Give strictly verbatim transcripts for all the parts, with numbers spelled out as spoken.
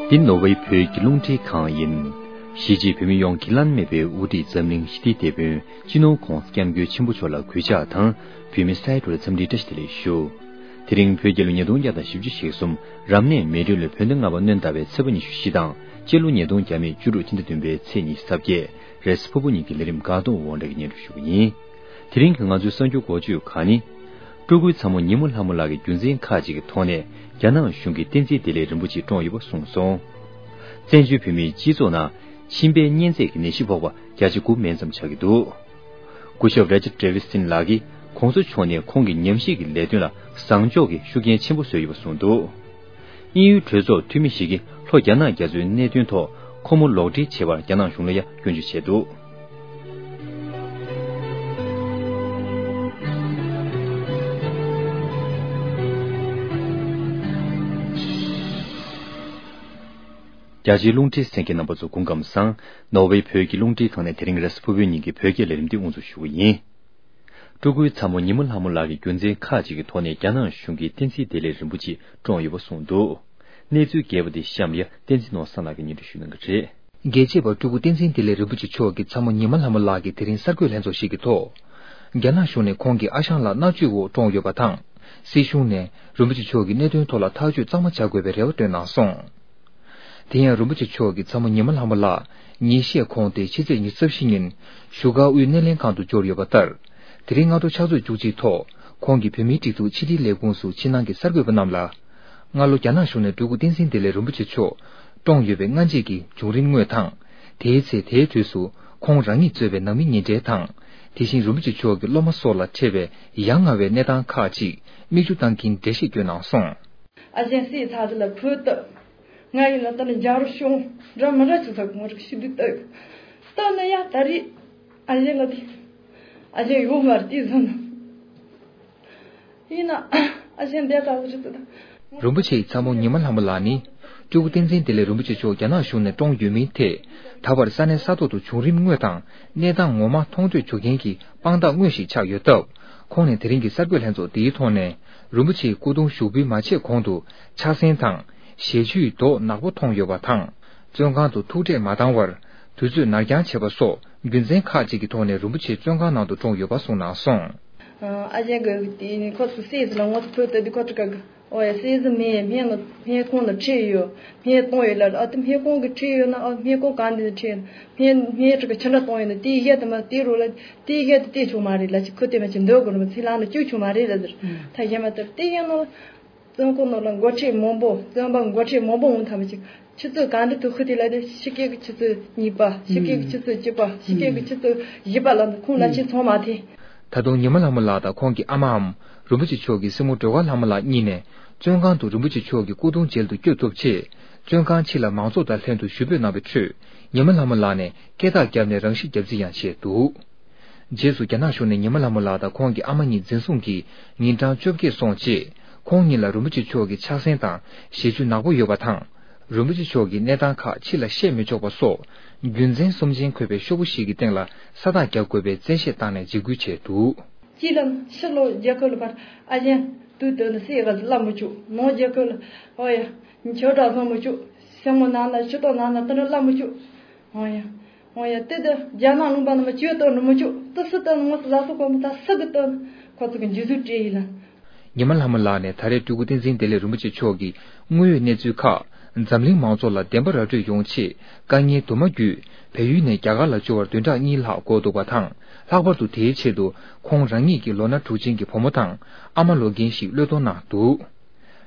འདི་ནོར་ཝེ་བོད་ཀྱི་རླུང་འཕྲིན་ཁང་ཡིན། གཞིས་བྱེས་བོད་མི་ཡོངས་ཀྱི་བླ་ན་མེད་པའི་དབུ་ཁྲིད་འཛམ་གླིང་ཞི་བདེའི་དེད་དཔོན་སྤྱི་ནོར་༧གོང་ས་༧སྐྱབས་མགོན་ཆེན་པོ་མཆོག་ལ་གུས་ཕྱག་དང་། བོད་མི་སའི་གྲོགས་ལ་འཚམས་འདྲིའི་བཀྲ་ཤིས་བདེ་ལེགས་ཞུ། དེ་རིང་བོད་རྒྱལ་ལོ་ཉིས་སྟོང་བརྒྱ་དང་བཞི་བཅུ་ཞེ་གསུམ། རབ་གནས་མེ་སྦྲུལ་ལོའི་བོད་ཟླ་ལྔ་པ་སྣྲོན་ཟླ་བའི་ཚེས་པ་ཉི་ཤུ་བཞི་དང་། སྤྱི་ལོ་ཉིས་སྟོང་བརྒྱ་མེད་བཅུ་དྲུག་སྤྱི་ཟླ་བདུན་པའི་ཚེས་ཉི་ཤུ་རྩ་བརྒྱད། རེས་གཟའ་ཕུར་བུ་ཉིན་གྱི་ལས་རིམ་འགག་གཏོར་དབང་གྲགས་ཀྱིས་སྙན་སྒྲོན་ཞུ་གི་ཡིན། དེ་རིང་གི་ང་ཚོའི་གསར་འགྱུར་འགོ་བརྗོད་ཁག་ནི། སྤྲུལ་སྐུའི་ཚ་མོ་ཉི་མ་ལྷ་མོ་ལགས་ཀྱིས་རྒྱུ་མཚན་ཁག་ཅིག་གི་ཐོག་ནས་རྒྱ་ནག་གཞུང་གིས་བསྟན་འཛིན་བདེ་ལེགས་རིན་པོ་ཆེ་བཀྲོངས་ཡོད་པ་གསུངས་སོང་། བཙན་བྱོལ་བོད་མིའི་སྤྱི་ཚོགས་ནང་མཆིན་པའི་གཉན་ཚད་ཀྱི་ནད་གཞི་ཕོག་པ་བརྒྱ་ཆ་དགུ་མན་ཙམ་ཆགས་ཀྱི་འདུག་སྐུ་ཞབས་རེ་ཅར་ཌེ་ཝི་སིན་ལགས་ཀྱིས་༧གོང་ས་མཆོག་ནས་ཁོང་གི་ཉམས་ཞིབ་ཀྱི་ལས་དོན་ལ་བཟང་ཕྱོགས་ཀྱི་ཤུགས་རྐྱེན་ཆེན་པོ་བཟོས་ཡོད་པ་གསུངས་འདུག་དབྱིན་ཡུལ་གྲོས་ཚོགས་འཐུས་མི་ཞིག་གིས་ལྷོ་རྒྱ་ནག་རྒྱ་མཚོའི་གནད་དོན་ཐོག་ཁོ་མོ་ལོག་འཁྲིད་བྱས་པར་རྒྱ་ནག་གཞུང་ལ་ཡང་སྐྱོན་བརྗོད་བྱས་འདུག་རྒྱ་ཆེའི་རླུང་འཕྲིན་གསན་མཁན་རྣམ་པ་ཚོ་སྐུ་ཁམས་བཟང་། ནོར་ཝེ་བོད་ཀྱི་རླུང་འཕྲིན་ཁང་ནས་དེ་རིང་རེས་གཟའ་ཕུར་བུའི་ཉིན་གྱི་བོད་སྐད་ལས་རིམ་འདི་དབུ་འཛུགས་ཞུ་གི་ཡིན། སྤྲུལ་སྐུའི་ཚ་མོ་ཉི་མ་ལྷ་མོ་ལགས་ཀྱིས་རྒྱུ་མཚན་ཁག་ཅིག་གི་ཐོག་ནས་རྒྱ་ནག་གཞུང་གིས་བསྟན་འཛིན་བདེ་ལེགས་རིན་པོ་ཆེ་བཀྲོངས་ཡོད་པ་གསུངས་འདུག་གནས་ཚུལ་རྒྱས་པ་འདི་གཤམ་ལ་བསྟན་འཛིན་ནོར་བཟང་ལགས་ཀྱིས་སྙན་སྒྲོན་ཞུ་གནང་གི་རེད། རྒྱལ་གཅེས་པ་སྤྲུལ་སྐུ་བསྟན་འཛིན་བདེ་ལེགས་རིན་པོ་ཆེ་མཆོག་གི་ཚ་མོ་ཉི་མ་ལྷ་མོ་ལགས་ཀྱིས་དེ་རིང་གསར་འགོད་ལྷན་ཚོགས་ཤིག་གི་ཐོག་རྒྱ་ནག་གཞུང་ནས་ཁོང་གི་ཨ་ཞང་ལགས་མནར་གཅོད་འོག་བཀྲོངས་ཡོད་པ་དང་། སྲིད་གཞུང་ནས་རིན་པོ་ཆེ་མཆོག་གི་གནད་དོན་ཐོག་ལ་ཐག་གཅོད་གཙང་མ་བྱ་དགོས་པའི་རེ་བ་བཏོན་གནང་སོང་། དེ་ཡང་རིན་པོ་ཆེ་མཆོག་གི་ཚ་མོ་ཉི་མ་ལྷ་མོ་ལགས་ཉིན་ཤས་གོང་སྟེ་ཕྱི་ཚེས་ཉི་ཤུ་རྩ་བཞི་ཉིན་བཞུགས་སྒར་དབུས་སྣེ་ལེན་ཁང་དུ་འབྱོར་ཡོད་པ་ལྟར། དེ་རིང་སྔ་དྲོ་ཕྱག་ཚོད་བཅུ་གཅིག་ཐོག་ཁོང་གིས་བོད་མིའི་སྒྲིག་འཛུགས་ཕྱི་དྲིལ་ལས་ཁུངས་སུ་ཕྱི་ནང་གི་གསར་འགོད་པ་རྣམས་ལ། སྔ་ལོ་རྒྱ་ནག་གཞུང་ནས་སྤྲུལ་སྐུ་བསྟན་འཛིན་བདེ་ལེགས་རིན་པོ་ཆེ་མཆོག་བཀྲོངས་ཡོད་པའི་སྔ་རྗེས་ཀྱི་བྱུང་རིམ་དངོས་དང་། དེའི་ཚེ་དེའི་དུས་སུ་ཁོང་རང་ཉིད་གཙོས་པའི་ནང་མི་ཉེ་འབྲེལ་དང་། དེ་བཞིན་རིན་པོ་ཆེ་མཆོག་གི་སློབ་མ་སོགས་ལ་འཕྲད་པའི་ཡ་ང་བའི་གནས་སྟངས་ཁག་ཅིག་མིག་ཆུ་བཏང་གིན་འགྲེལ་བཤད་བསྐྱོན་གནང་སོང་། ཨ་ཅེ་སྲིད་ཚ་ཚ་ལ་ཕུལ་ཏུ། ང་ཡིན་ན་ད་ནི་རྒྱ་རུ་ཤོང་འདྲ་མི་འདྲ་ཆུ་ཚ་གང་རིག་ཤི་དུས་ལྟ། ལྟ་ན་ཡ་ད་རེས་ཨ་ཅེ་ལ་དེ་ཨ་ཅེ་ཡོང་བར་དེ་བཟོ་ན། ཡིན་ན་ཨ་ཅེ་འདས་ད་རེད་ད། རིན་པོ་ཆེའི་ཚ་མོ་ཉི་མ་ལྷ་མོ་ལགས་ནི། སྤྲུལ་སྐུ་བསྟན་འཛིན་བདེ་ལེགས་རིན་པོ་ཆེ་མཆོག་རྒྱ་ནག་གཞུང་ནས་བཀྲོངས་ཡོད་མིན་ཐད། ད་བར་ས་གནས་ས་ཐོག་ཏུ་བྱུང་རིམ་དངོས་དང་གནས་སྟངས་ངོ་མ་མཐོང་ཐོས་བྱུང་མཁན་གྱི་དཔང་རྟགས་དངོས་ཤིག་ཆགས་ཡོད་སྟབས། ཁོང་ནས་དེ་རིང་གི་གསར་འགོད་ལྷན་ཚོགས་འདིའི་ཐོག་ནས། རིན་པོ་ཆེའི་སྐུ་གདུང་ཞུགས་འབུལ་མ་བྱས་གོང་དུ་ཕྱག་སེན་དང་ཞལ་ཆུའི་མདོག་ནག་པོ་མཐོང་ཡོད་པ་དང་། བཙོན་ཁང་དུ་ཐུག་འཕྲད་མ་བཏང་བར་དུས་ཚོད་ནར་འགྱངས་བྱས་པ་སོགས་རྒྱུ་མཚན་ཁག་ཅིག་གི་ཐོག་ནས་རིན་པོ་ཆེ་བཙོན་ཁང་ནང་དུ་བཀྲོངས་ཡོད་པ་གསུངས་གནང་སོང་། ཨ་ཅེ་གི་དེ་ནི་ཁོ་ཚོ་སྲས་ལ་ངོ་ཚ་ཕུལ་ཏེ་དེ་ཁོ་ཚོ་ག་གི་ཨོ་ཡ་སྲས་ཟི་མེད་སྨན་ལ་སྨན་ཁང་ལ་ཁྲིད་ཡོད། སྨན་གཏོང་ཡོད་ལ་ཨ་དེ་སྨན་ཁང་གི་ཁྲིད་ཡོད་ན་ཨ་སྨན་ཁང་ག་འདི་ཁྲིད་ཡོད་ན་སྨན་སྨན་ཁྲི་གི་ཕྱི་འདྲ་གཏོང་ཡོད་ན་དེའི་གཞི་དེ་མ་དེའི་རོ་ལ་དེའི་གཞི་དེ་དེ་ཆོག་མ་རེད་ལ་ཅི་ཁོ་དེ་མ་ཅི་འདོད་དགོས་རེད་མ་ཚིག་ལང་ལ་བཅུག་ཆོག་མ་རེད་ལ་ཟེར། ད་གཞན་མ་ལྟར་དེ་ཡིན་ནོ། བཙོན་ཁང་ནང་ལ་འགོ་ཁྲིད་མང་པོ་བཙོན་པ་འགོ་ཁྲིད་མང་པོ་འོང་ཐབས་ཅིག་ཆུ་ཚོད་གང་འདྲ་དུ་ཁུ་དེ་ལ་དེ་ཕྱི་སྐད་ཀྱི་ཆུ་ཚོད་གཉིས་པ་ཕྱི་སྐད་ཀྱི་ཆུ་ཚོད་བཅུ་པ་ཕྱི་སྐད་ཀྱི་ཆུ་ཚོད་བཞི་པ་ལ་ཁོང་ལ་ཆེ་ཚང་མ་དེ། ད་དུང་ཉི་མ་ལྷ་མོ་ལགས་དང་ཁོང་གི་ཨ་མའམ་རིན་པོ་ཆེ་མཆོག་གི་སྲིང་མོ་སྒྲོལ་དཀར་ལྷ་མོ་ལགས་གཉིས་ནས་བཙོན་ཁང་དུ་རིན་པོ་ཆེ་མཆོག་གི་སྐུ་གདུང་མཇལ་དུ་བསྐྱོད་ཐུབ་ཆེད། བཙོན་ཁང་ཕྱི་ལ་མང་ཚོགས་དང་ལྷན་དུ་ཞུ་འབོད་གནང་བའི་ཁྲོད། ཉི་མ་ལྷ་མོ་ལགས་ནས་སྐད་ཐག་བརྒྱབ་ནས་རང་ཤི་བརྒྱབ་རྩིས་ཡང་བྱས་འདུག་རྗེས་སུ་རྒྱ་ནག་གཞུང་ནས་ཉི་མ་ལྷ་མོ་ལགས་དང་ཁོང་གི་ཨ་མ་གཉིས་འཛིན་བཟུང་གིས་ཉིན་གྲངས་བཅོ་བརྒྱད་སོང་རྗེས། ཁོང་གཉིས་ལ་རིན་པོ་ཆེ་མཆོག་གི་ཕྱག་སེན་དང་ཞལ་ཆུ་ནག་པོ་ཡོད་པ་དང་། རིན་པོ་ཆེ་མཆོག་གི་གནས་སྟངས་ཁག་ཕྱི་ལ་བཤད་མི་ཆོག་པ་སོགས། རྒྱུ་མཚན་གསུམ་ཅན་འཁོད་པའི་ཤོག་བུ་ཞིག་གི་སྟེང་ལ་ས་རྟགས་རྒྱག་དགོས་པའི་བཙན་ཤེད་བཏང་ནས་འཇིགས་སྐུལ་བྱས་འདུག་གཅིག་ལ་ཕྱི་ལོགས་རྒྱལ་ཁབ་ལ་ཕར་ཨ་ཅན་དུས་དོན་དུ་སྲིད་ག་ལ་མི་བཅུག་ནང་རྒྱལ་ཁབ་ལ་ཨོ་ཡ་ཆོས་གྲྭ་བཟང་མི་བཅུག་སེ་མོ་ནང་ན་ཕྱི་ཏོག་ནང་ན་དེ་འདྲ་ལ་མི་བཅུག་ཨོ་ཡ། ཨོ་ཡ། དེ་དུ་རྒྱ་ནག་ལུང་པ་ནང་མ་བཅོས་གཏོང་ནི་མི་བཅུག་ཏི་སི་ཏི་ནང་ས་ལ་སོགས་པ་མི་ད་སི་གི་ཏི་ཁོ་ཚོ་གི་འཇུ་ཟུག་སྤྲད་ཡིན་ལ། ཉི་མ་ལྷ་མོ་ལགས་ནས་ད་རེས་སྤྲུལ་སྐུ་བསྟན་འཛིན་བདེ་ལེགས་རིན་པོ་ཆེ་མཆོག་གི་དངོས་ཡོད་གནས་ཚུལ་ཁག་འཛམ་གླིང་མང་ཚོགས་ལ་བདེན་པ་ར་སྤྲོད་ཡོང་ཆེད་དཀའ་ངལ་དུ་མ་བརྒྱུད་བལ་ཡུལ་ནས་རྒྱ་གར་ལ་འབྱོར་བར་བདུན་ཕྲག་གཉིས་ལྷག་འགོར་འདུག་པ་དང་། ལྷག་པར་དུ་དེའི་ཆེད་དུ་ཁོང་རང་ཉིད་ཀྱི་ལོ་ན་དྲུག་ཅན་གྱི་བུ་མོ་དང་ཨ་མ་ལོ་རྒན་ཞིག་བློས་གཏོང་གནང་འདུག་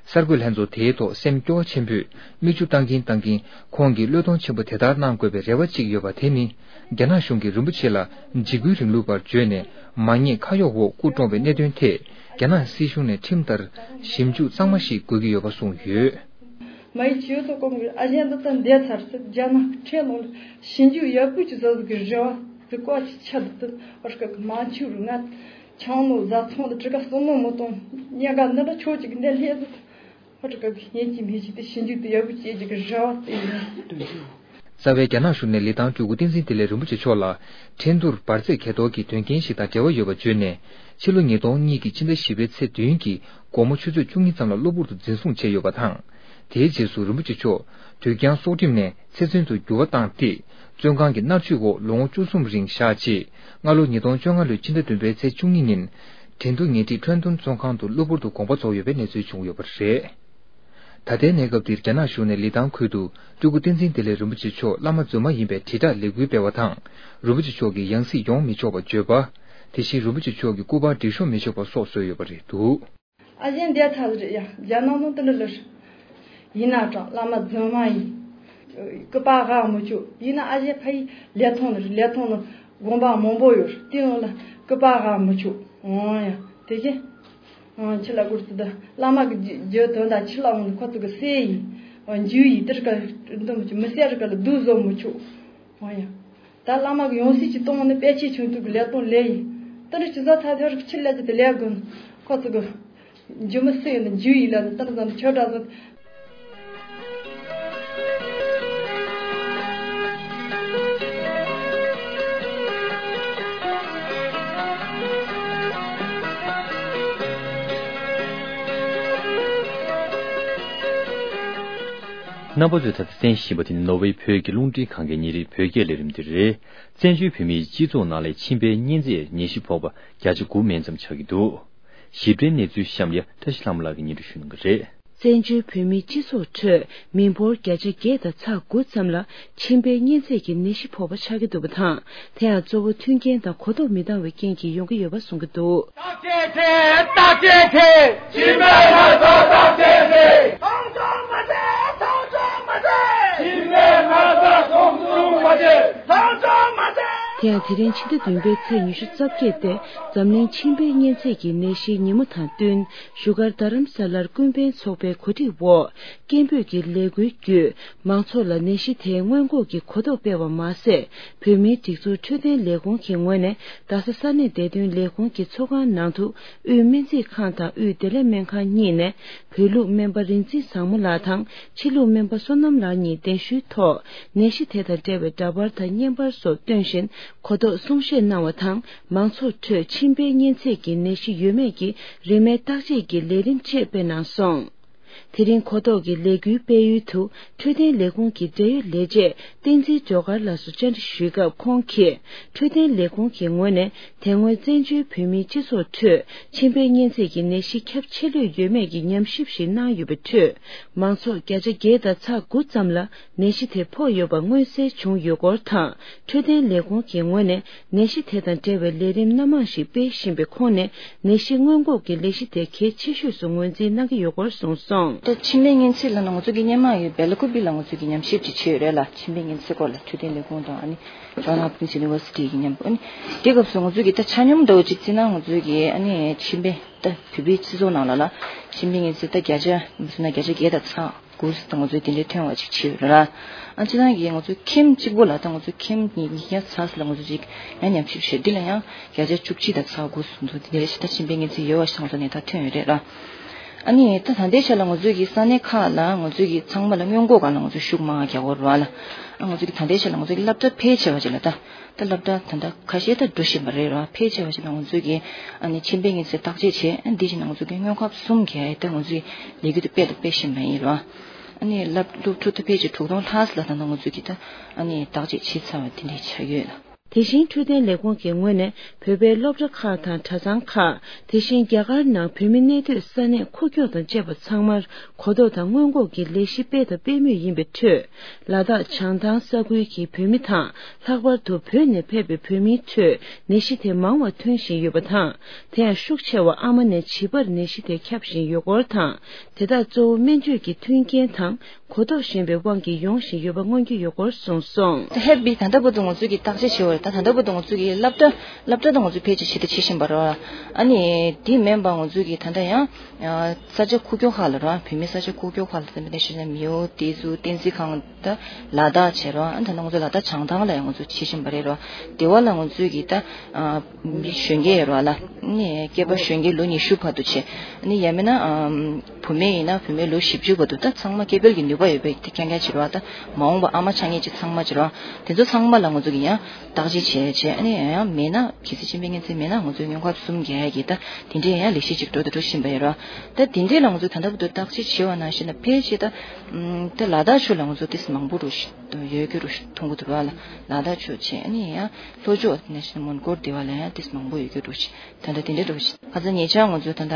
གསར་འགོད་ལྷན་ཚོགས་དེའི་ཐོག་སེམས་སྐྱོ་བ་ཆེན་པོས་མིག་ཆུ་བཏང་གིན་བཏང་གིན་ཁོང་གིས་བློས་གཏོང་ཆེན་པོ་དེ་ལྟར་གནང་དགོས་པའི་རེ་བ་གཅིག་ཡོད་པ་དེ་ནི། རྒྱ་ནག་གཞུང་གིས་རིན་པོ་ཆེ་ལ་འཇིགས་སྐུལ་རིང་ལུགས་པར་བརྗོད་ནས་མ་ཉེས་ཁ་གཡོགས་འོག་སྐུ་བཀྲོངས་པའི་གནད་དོན་ཐད་རྒྱ་ནག་སྲིད་གཞུང་ནས་ཁྲིམས་ལྟར་ཞིབ་འཇུག་གཙང་མ་ཞིག་དགོས་ཀྱི་ཡོད་པ་གསུངས་ཡོད། མ་ཡི་ཆོས་ཚོགས་སྐོར་གྱི་ཨ་ཞན་འདི་ཚོ་འདས་ཚར་ཚེ་རྒྱ་ནག་ཁྲལ་ནང་ལ་ཞིབ་འཇུག་ཡག་པོ་ཅིག་བཟོ་ཟིག་གི་རེ་བ་ཟིག་བཀའ་ཅིག་ཆད་འདུག་ཨ་རི་ཀ་གི་མ་ཆུ་རུ་ང་ཆང་ནོ་བཟའ་ཚང་ལ་དྲི་ཀ་སོ་ནོ་མོ་དང་ཉེ་ག་འདི་འདྲ་ཆོས་ཅིག་འདི་ལྷས་ཟིག་ཧོ་ཀྲི་ཀ་གི་ཡིན་གཅིག་མིན་གཅིག་དེ་ཞིབ་འཇུག་དེ་ཡག་པོ་བྱེད་རྒྱུ་གི་རེ་བ་བཏོན་ཡོད། རྩ་བའི་རྒྱ་ནག་གཞུང་ནས་ལི་ཐང་སྤྲུལ་སྐུ་བསྟན་འཛིན་བདེ་ལེགས་རིན་པོ་ཆེ་མཆོག་ལ་ཁྲིན་ཏུར་འབར་རྫས་གས་གཏོར་གྱི་དོན་རྐྱེན་ཞིག་དང་འབྲེལ་བ་ཡོད་པ་བརྗོད་ནས། ཕྱི་ལོ་ཉིས་སྟོང་གཉིས་ཀྱི་ཕྱི་ཟླ་བཞི་པའི་ཚེས་བདུན་གྱི་དགོང་མོ་ཆུ་ཚོད་བཅུ་གཉིས་ཙམ་ལ་གློ་བུར་དུ་འཛིན་བཟུང་བྱས་ཡོད་པ་དང་། དེའི་རྗེས་སུ་རིན་པོ་ཆེ་མཆོག་དུས་འགྱངས་སྲོག་ཁྲིམས་ནས་ཚེ་བཙོན་དུ་འགྱུར་བ་བཏང་སྟེ། བཙོན་ཁང་གི་མནར་གཅོད་འོག་ལོ་ངོ་བཅུ་གསུམ་རིང་བཞག་རྗེས། སྔ་ལོ་ཉིས་སྟོང་བཅོ་ལྔ་ལོའི་ཕྱི་ཟླ་བདུན་པའི་ཚེས་བཅུ་གཉིས་ཉིན། དྲིན་དུ་ཉེ་འཁྲིས་ཁྲོན་ཏུན་བཙོན་ཁང་དུ་གློ་བུར་དུ་དགོངས་པ་རྫོགས་ཡོད་པའི་གནས་ཚུལ་བྱུང་ཡོད་པ་རེད། ད་ལྟའི་གནས་སྐབས་འདིར་རྒྱ་ནག་གཞུང་ནས་ལི་ཐང་ཁུལ་དུ་སྤྲུལ་སྐུ་བསྟན་འཛིན་བདེ་ལེགས་རིན་པོ་ཆེ་མཆོག་བླ་མ་རྫུན་མ་ཡིན་པའི་དྲིལ་བསྒྲགས་ལས་འགུལ་སྤེལ་བ་དང་། རིན་པོ་ཆེ་མཆོག་གི་ཡང་སྲིད་ཡོང་མི་ཆོག་པ་བརྗོད་པ། དེ་བཞིན་རིན་པོ་ཆེ་མཆོག་གི་སྐུ་པར་སྒྲིག་ཤོག་མི་ཆོག་པ་སོགས་བཟོས་ཡོད་པ་རེད་འདུག། ཨ་ཞེ་འདི་ཐག་རེད་ཡ། རྒྱ་ནག་ནང་དུ་ལི་ལི་རེད། ཡིན་ན་གྲང་བླ་མ་རྫུན་མ་ཡིན། སྐུ་པར་ཧ་མི་ཆོག། ཡིན་ན་ཨ་ཞེ་ཕ་ཡི་ལི་ཐང་ནི་རེད། ལི་ཐང་ནི་དགོན་པ་མང་པོ་ཡོད་རེད། དེ་ནང་ལ་སྐུ་པར་ཧ་མི་ཆོག། འོང་ཡ། དེ་བཞིན། འོང་ཕྱི་ལ་སྐོར་ཚུལ་དུ་བླ་མ་གི་རྒྱུ་དོན་དང་ཕྱི་ལ་འོང་ནི་ཁོ་ཚོ་གི་སྲས་ཡིན། འོང་རྒྱུ་ཡིན་དེར་ག་འདུ་མི་ཆོག། མི་སྲས་རི་ག་ལ་སྡུག་བཟོ་མི་ཆོག། འོང་ཡ། ད་བླ་མ་གི་ཡང་སྲིད་ཅིག་གཏོང་ནི་དཔེ་ཆའི་ཆུང་དུ་གི་ལས་གཏོང་ལས་ཡིན། ད་ནི་སྤྱི་ཚོགས་ཐ་ཐར་ཕྱི་ལ་ཅི་དེ་ལས་དགོས། ཁོ་ཚོ་གི་འཇུ་མི་སྲིད་ཡོད་ན་འཇུ་ཡིན་ལ་ནི་ད་ནི་ཟམ་ཆོས་གྲགས་ཚོ། རྣམ་པ་ཚོས་ད་ལྟ་གསན་བཞིན་པ་དེ་ནི་ནོར་ཝེ་བོད་ཀྱི་རླུང་འཕྲིན་ཁང་གི་ཉིན་རེའི་བོད་སྐད་ལས་རིམ་དེ་རེད། བཙན་བྱོལ་བོད་མིའི་སྤྱི་ཚོགས་ནང་ལ་མཆིན་པའི་གཉན་ཚད་ནད་གཞི་ཕོག་པ་བརྒྱ་ཆ་དགུ་མན་ཙམ་ཆགས་ཀྱི་འདུག། ཞིབ་ཕྲའི་གནས་ཚུལ་གཤམ་ལ་བཀྲ་ཤིས་ལྷ་མོ་ལགས་ཀྱིས་སྙན་སྒྲོན་ཞུ་གནང་གི་རེད། བཙན་བྱོལ་བོད་མིའི་སྤྱི་ཚོགས་ཁྲོད་མི་འབོར་བརྒྱ་ཆ་བརྒྱད་དང་ཚེག་དགུ་ཙམ་ལ་མཆིན་པའི་གཉན་ཚད་ཀྱི་ནད་གཞི་ཕོག་པ་ཆགས་ཀྱི་འདུག་པ་དང་། དེ་ཡང་གཙོ་བོ་མཐུན་རྐྱེན་དང་གོ་རྟོགས་མི་འདང་བའི་རྐྱེན་གྱིས་ཡོང་གི་ཡོད་པ་གསུང་གི་འདུག། བརྟག་དཔྱད་བྱེད། བརྟག་དཔྱད་བྱེད། མཆིན་པའི་ན་ཚ་བརྟག་དཔྱད་བྱེད། མཐོང་ཆུང་མ་བྱེད། མཐོང་ཆུང་མ་བྱེད། མཆིན་པའི་ན་ཚ་མཐོང་ཆུང་མ་བྱེད། མཐོང་ཆུང་མ་བྱེད། དེ་ཡང་དེ་རིང་ཕྱི་ཟླ་བདུན་པའི་ཚེས་ཉི་ཤུ་རྩ་བརྒྱད་སྟེ། འཛམ་གླིང་མཆིན་པའི་གཉན་ཚད་ཀྱི་ནད་གཞིའི་ཉིན་མོ་དང་བསྟུན། བཞུགས་སྒར་རྡ་རམ་ས་ལར་ཀུན་ཕན་ཚོགས་པའི་གོ་སྒྲིག་འོག། སྐད་འབོད་ཀྱི་ལས་འགུལ་བརྒྱུད། མང་ཚོགས་ལ་ནད་གཞི་དེའི་སྔོན་འགོག་གི་གོ་རྟོགས་སྤེལ་བ་མ་ཟད། བོད་མིའི་སྒྲིག་འཛུགས་འཕྲོད་བསྟེན་ལས་ཁུངས་ཀྱི་ངོས་ནས། རྡ་ས་ས་གནས་བདེ་དོན་ལས་ཁུངས་ཀྱི་ཚོགས་ཁང་ནང་དུ། དབུས་སྨན་རྩིས་ཁང་དང་དབུས་བདེ་ལེགས་སྨན་ཁང་གཉིས་ནས། བོད་ལུགས་སྨན་པ་རིག་འཛིན་བཟང་མོ་ལགས་དང་། ཕྱི་ལུགས་སྨན་པ་བསོད་ནམས་ལགས་གཉིས་གདན་ཞུའི་ཐོག། ནད་གཞི་དེ་དང་འབྲེལ་བའི་འདྲ་པར་དང་བརྙན་པར་སོགས་སྟོན་བཞིན། གོ་རྟོགས་གསུང་བཤད་གནང་བ་དང་། མང་ཚོགས་ཁྲོད་མཆིན་པའི་གཉན་ཚད་ཀྱི་ནད་གཞི་ཡོད་མེད་ཀྱི་རིན་མེད་བརྟག་དཔྱད་ཀྱི་ལས་རིམ་བཅས་སྤེལ་གནང་སོང་། དེ་རིང་གོ་རྟོགས་ཀྱི་ལས་འགུལ་སྤེལ་ཡུལ་དུ། འཕྲོད་བསྟེན་ལས་ཁུངས་ཀྱི་འབྲེལ་ཡོད་ལས་བྱེད་བསྟན་འཛིན་སྒྲོལ་དཀར་ལགས་སུ་བཅར་འདྲི་ཞུས་སྐབས། ཁོང་གིས། འཕྲོད་བསྟེན་ལས་ཁུངས་ཀྱི་ངོས་ནས། དེ་སྔོན་བཙན་བྱོལ་བོད་མིའི་སྤྱི་ཚོགས་ཁྲོད། མཆིན་པའི་གཉན་ཚད་ཀྱི་ནད་གཞི་ཁྱབ་ཆེ་ལོས་ཡོད་མེད་ཀྱི་ཉམས་ཞིབ་ཞིག་གནང་ཡོད་པའི་ཁྲོད། མང་ཚོགས་བརྒྱ་ཆ་བརྒྱད་དང་ཚེག་དགུ་ཙམ་ལ། ནད་གཞི་དེ་ཕོག་ཡོད་པ་མངོན་གསལ་བྱུང་ཡོད་སྐོར་དང་། འཕྲོད་བསྟེན་ལས་ཁུངས་ཀྱི་ངོས་ནས་ནད་གཞི་དེ་དང་འབྲེལ་བའི་ལས་རིམ་སྣ་མང་ཞིག་སྤེལ་བཞིན་པའི་ཁོངས་ནས། ནད་གཞི་སྔོན་འགོག་གི་ལས་གཞི་དེ་གལ་ཆེ་ཤོས་སུ་ངོས་འཛིན་གནང་གི་ཡོད་སྐོར་གསུངས་སོང་། ད་མཆིན་པའི་གཉན་ཚད་ལབ་ན་ང་ཚོ་གི་སྔོན་མ་ཡོད་བེ་ལ་ཀུ་པི་ལ་ང་ཚོ་གི་ཉམས་ཞིབ་ཅིག་བྱས་ཡོད་རེད་ལ། མཆིན་པའི་གཉན་ཚད་སྐོར་ལ་འཕྲོད་བསྟེན་ལས་ཁུངས་དང་ཨ་ནི་John Hopkins University གི་མཉམ་དུ། ཨ་ནི་དེ་སྐབས་སུ་ང་ཚོ་གི་ད་ཆ་སྙོམས་འདྲ་བོ་ཅིག་བརྩིས་ན། ང་ཚོ་གི་ཨ་ནི་མཆིན་པའི་ད་བོད་པའི་སྤྱི་ཚོགས་ནང་ལ་ལ་མཆིན་པའི་གཉན་ཚད་ད་བརྒྱ་ཆ་མི་སོང་ན་བརྒྱ་ཆ་བརྒྱད་དང་ཚེག་དགུ་ཙམ་ང་ཚོས་དེ་འདྲའི་ཐོན་པ་ཅིག་བྱས་ཡོད་ར། ཨ་ཅི་ད་གི་ང་ཚོའི་ཁྱིམ་གཅིག་པོ་ལ། ད་ང་ཚོའི་ཁྱིམ་ཉིས་བརྒྱ་ཙམ་ལ་ང་ཚོ་ཅིག་ཡང་ཉམས་ཞིབ་བྱས། འདི་ལ་ཡང་བརྒྱ་ཆ་བཅུ་གཅིག་དང་ཚེག་དགུ་ཙམ་དེ་འདྲའི་ཞེ་དྲག་མཆིན་པའི་གཉན་ཚད་ཡོད་པ་ཞིག་ང་ཚོ་ནས་ད་ཐོན་ཡོད་རེད་ར། ཨ་ནི་ད་ད་ལྟའི་ཆ་ལ་ང་ཚོའི་གི་ས་གནས་ཁག་ལ་ང་ཚོའི་གི་ཚང་མ་ལ་སྔོན་འགོག་སྒང་ལ་ང་ཚོ་ཤུགས་མང་རྒྱག་གི་ཡོད་ར་ལ། ཨ་ང་ཚོའི་གི་ད་ལྟའི་ཆ་ལ་ང་ཚོའི་གི་སློབ་གྲྭ་ཕལ་ཆེ་བ་ཅིག་ལ་ད། ད་སློབ་གྲྭ་ད་ལྟ་ཁ་ཤས་ད་འགྲོ་བཞིན་པ་རེད་ར། ཕལ་ཆེ་བ་ཞིག་ལ་ང་ཚོས་ཀྱི་ཨ་ནི་མཆིན་པའི་གཉན་ཚད་བརྟག་དཔྱད་བྱས། ཨ་འདི་བཞིན་ང་ཚོས་ཀྱི་སྔོན་ཁབ་གསུམ་གྱི་ད་ང་ཚོས་ལས་འགུལ་དེ་སྤེལ་དང་སྤེལ་བཞིན་པ་ཡིན་ར། ཨ་ནི་སློབ་སློབ་ཕྲུག་ད་ཕལ་ཆེར་དྲུག་སྟོང་ལྷག་ཙམ་ལ་ད་ལྟ་ང་ཚོས་ཀྱི་ད་ཨ་ནི་བརྟག་དཔྱད་བྱས་ཚར་བ་དེ་འདྲ་ཆགས་ཡོད་ལ། དེ་བཞིན་འཕྲོད་བསྟེན་ལས་ཁུངས་ཀྱི་ངོས་ནས་བོད་པའི་སློབ་གྲྭ་ཁག་དང་གྲྭ་ཚང་ཁག་དེ་བཞིན་རྒྱ་གར་ནང་བོད་མི་གནས་སྡོད་ས་གནས་ཁུག་ཀྱོག་དང་བཅས་པ་ཚང་མར། གོ་རྟོགས་དང་སྔོན་འགོག་གི་ལས་གཞི་སྤེལ་དང་སྤེལ་མུས་ཡིན་པའི་ཁྲོད། ལ་དྭགས་བྱང་ཐང་ས་ཁུལ་གྱི་བོད་མི་དང་། ལྷག་པར་དུ་བོད་ནས་ཕེབས་པའི་བོད་མིའི་ཁྲོད་ནད་གཞི་དེ་མང་བ་ཐོན་བཞིན་ཡོད་པ་དང་། དེ་ཡང་ཤུགས་ཆེ་བ་ཨ་མ་ནས་བྱིས་པར་ནད་གཞི་དེ་ཁྱབ་བཞིན་ཡོད་སྐོར་དང་། དེ་དག་གཙོ་བོ་སྨན་བཅོས་ཀྱི་མཐུན་རྐྱེན་དང་གོ་རྟོགས་ཞན་པའི་དབང་གིས་ཡོང་བཞིན་ཡོད་པ་མངོན་གྱི་ཡོད་སྐོར་གསུངས་སོང་། ད་ཧེ་བི་ད་ལྟ་བར་དུ་ང་ཚོས་ཀྱི་བརྟག་དཔྱད་བྱས་པ་རེད། ད་ད་ལྟ་བར་དུ་ང་ཚོས་ཀྱི་སློབ་གྲྭ་སློབ་གྲྭ་དང་ང་ཚོས་ཕལ་ཆེར་ཞིབ་ཕྲ་བྱེད་བཞིན་པ་རེད། ཨ་ནི་དེ་མིན་པ་ང་ཚོས་ཀྱི་ད་ལྟ་ཡང་ས་ཆ་ཁུག་ཀྱོག་ཁག་ལ་རེད། བོད་མི་ས་ཆ་ཁུག་ཀྱོག་ཁག་ལ་ད་མི་ད་ཤི་ན་མིའོ་དེ་ཚོ་བསྟན་འཛིན་ཁང་ད་ལ་དྭགས་བྱས་རོགས། ཨ་ད་ནང་ཚོ་ལ་དྭགས་བྱང་ཐང་ལ་ཡང་ང་ཚོ་བྱེད་བཞིན་པ་རེད་རོགས། དེ་བ་ལ་ང་ཚོས་ཀྱི་ད་ཨ་མི་གཞོན་སྐྱེས་རོགས་ལ་ནི་སྐྱེས་པ་གཞོན་སྐྱེས་ལོ་ཉི་ཤུ་བར་དུ་བྱས། ནི་ཡང་མིན་ན་ཨ་བུད་མེད་ཡིན་ན་བུད་མེད་ལོ་བཞི་བཅུ་བར་དུ་ད་ཚང་མ་སྐྱེ་འཕེལ་གྱི་ནུས་པ། ཡོད་པའི་དེ་ཁྱེད་ཁྱེད་བྱེད་རོགས། ད་མ་འོངས་པ་ཨ་མ་ཆགས་ངེས་ཀྱི་ཚང་མ་བྱེད་རོགས། དེ་ཚོ་ཚང་མ་ལ་ང་ཚོ་གི་ཡང་བརྟག་དཔྱད་བྱས་བྱས། ཨ་ནི་ཡང་མེད་ན་གལ་སྲིད་མཆིན་པའི་གཉན་ཚད་མེད་ན་ང་ཚོའི་སྔོན་ཁབ་གསུམ་རྒྱག་ཡ་གི་ད་དེ་འདྲའི་ཡང་ལེགས་བཤད་ཅིག་འགྲོ་དང་འགྲོ་བཞིན་པ་ཡོད་རོགས། ད་དེ་འདྲའི་ལ་ང་ཚོ་ད་ལྟ་བར་དུ་བརྟག་དཔྱད་བྱས་པ་ནང་བཞིན་ལ་ཕལ་ཆེར་ད་ད་ལ་དྭགས་ཕྱོགས་ལ་ང་ཚོ་ཏིས་མང་པོ་རུ་ཡོད་རྒྱུ་རུ་མཐོང་གི་འདུག་རོགས་ལ། ལ་དྭགས་ཕྱོགས་བྱས། ཨ་ནི་ཡང་ལྷོ་ཕྱོགས་ནང་བཞིན་མོན་གྷོ་སྡེ་བ་ལ་ཡང་ཏིས་མང་པོ་ཡོད་རྒྱུ་རུ། ད་ལྟ་དེ་འདྲའི་འགྲོ་བཞིན། ཁ་སང་ཉེ་ཆར་ང་ཚོ་ད་ལྟ་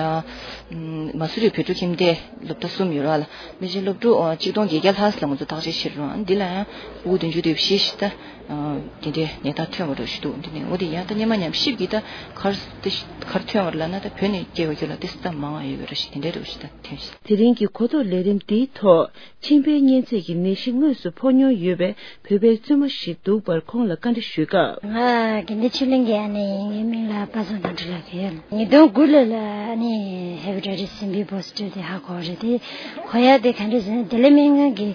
མ་སུ་རི་བོད་ཕྲུག་ཁྱིམ་སྡེ་སློབ་གྲྭ་གསུམ་ཡོད་ར་ལ། མི་ཆེན་སློབ་ཕྲུག་ཆིག་སྟོང་བརྒྱད་བརྒྱ་ལྷག་ལ་ང་ཚོ་བརྟག་དཔྱད་བྱེད་རུང་། འདི་ལ་ཡང་ཕྲུ་གུ་བདུན་ཅུ་དེ་བཞི་ཞིག་ད་དེ་འདྲའི་ནད་རྟགས་ཐོན་པ་རུ་ཞིག་འདུག་འདི་ནས་འོ་དེ་ཡང་ད་སྔོན་མ་ཉམས་ཞིབ་ཀྱིས་ད་གར་དེ་གར་ཐོན་པ་ར་ལ་ན། ད་བོད་ནས་སྐྱེ་བ་རྒྱུ་ལ་དེ་སུ་ད་མང་བ་ཡོད་པ་ར་ཞིག་དེ་འདྲའི་རུ་ཞིག་ད་ཐོན་ཞིག་དེ་རིང་གི་གོ་རྟོགས་ལས་རིམ་འདིའི་ཐོག་མཆིན་པའི་གཉན་ཚད་ཀྱི་ནད་གཞི་དངོས་སུ་ཕོག་མྱོང་ཡོད་པའི་བོད་པའི་བཙུན་མ་ཞིག་འདུག་པར་ཁོང་ལ་བཀའ་འདྲི་ཞུས་སྐབས། ང་དགེ་འདུན་ཆོས་གླིང་གི་ཨ་ནི་ངའི་མིང་ལ་པ་སངས་དོན་གྲུབ་ལབ་ཀྱི་ཡོད། ཉིས་སྟོང་དགུ་ལོ་ལ་ཨ་ནི་ཧེ་པ་ཊའི་ཊིས་སི་བི་པོ་སི་ཊིབ་དེ་ཧ་གོ་རེད། དེ་གོ་ཡ་དེ་ག་འདྲ་ཟེར་ན། དེ་ལས་སྨན་ཁང་གི་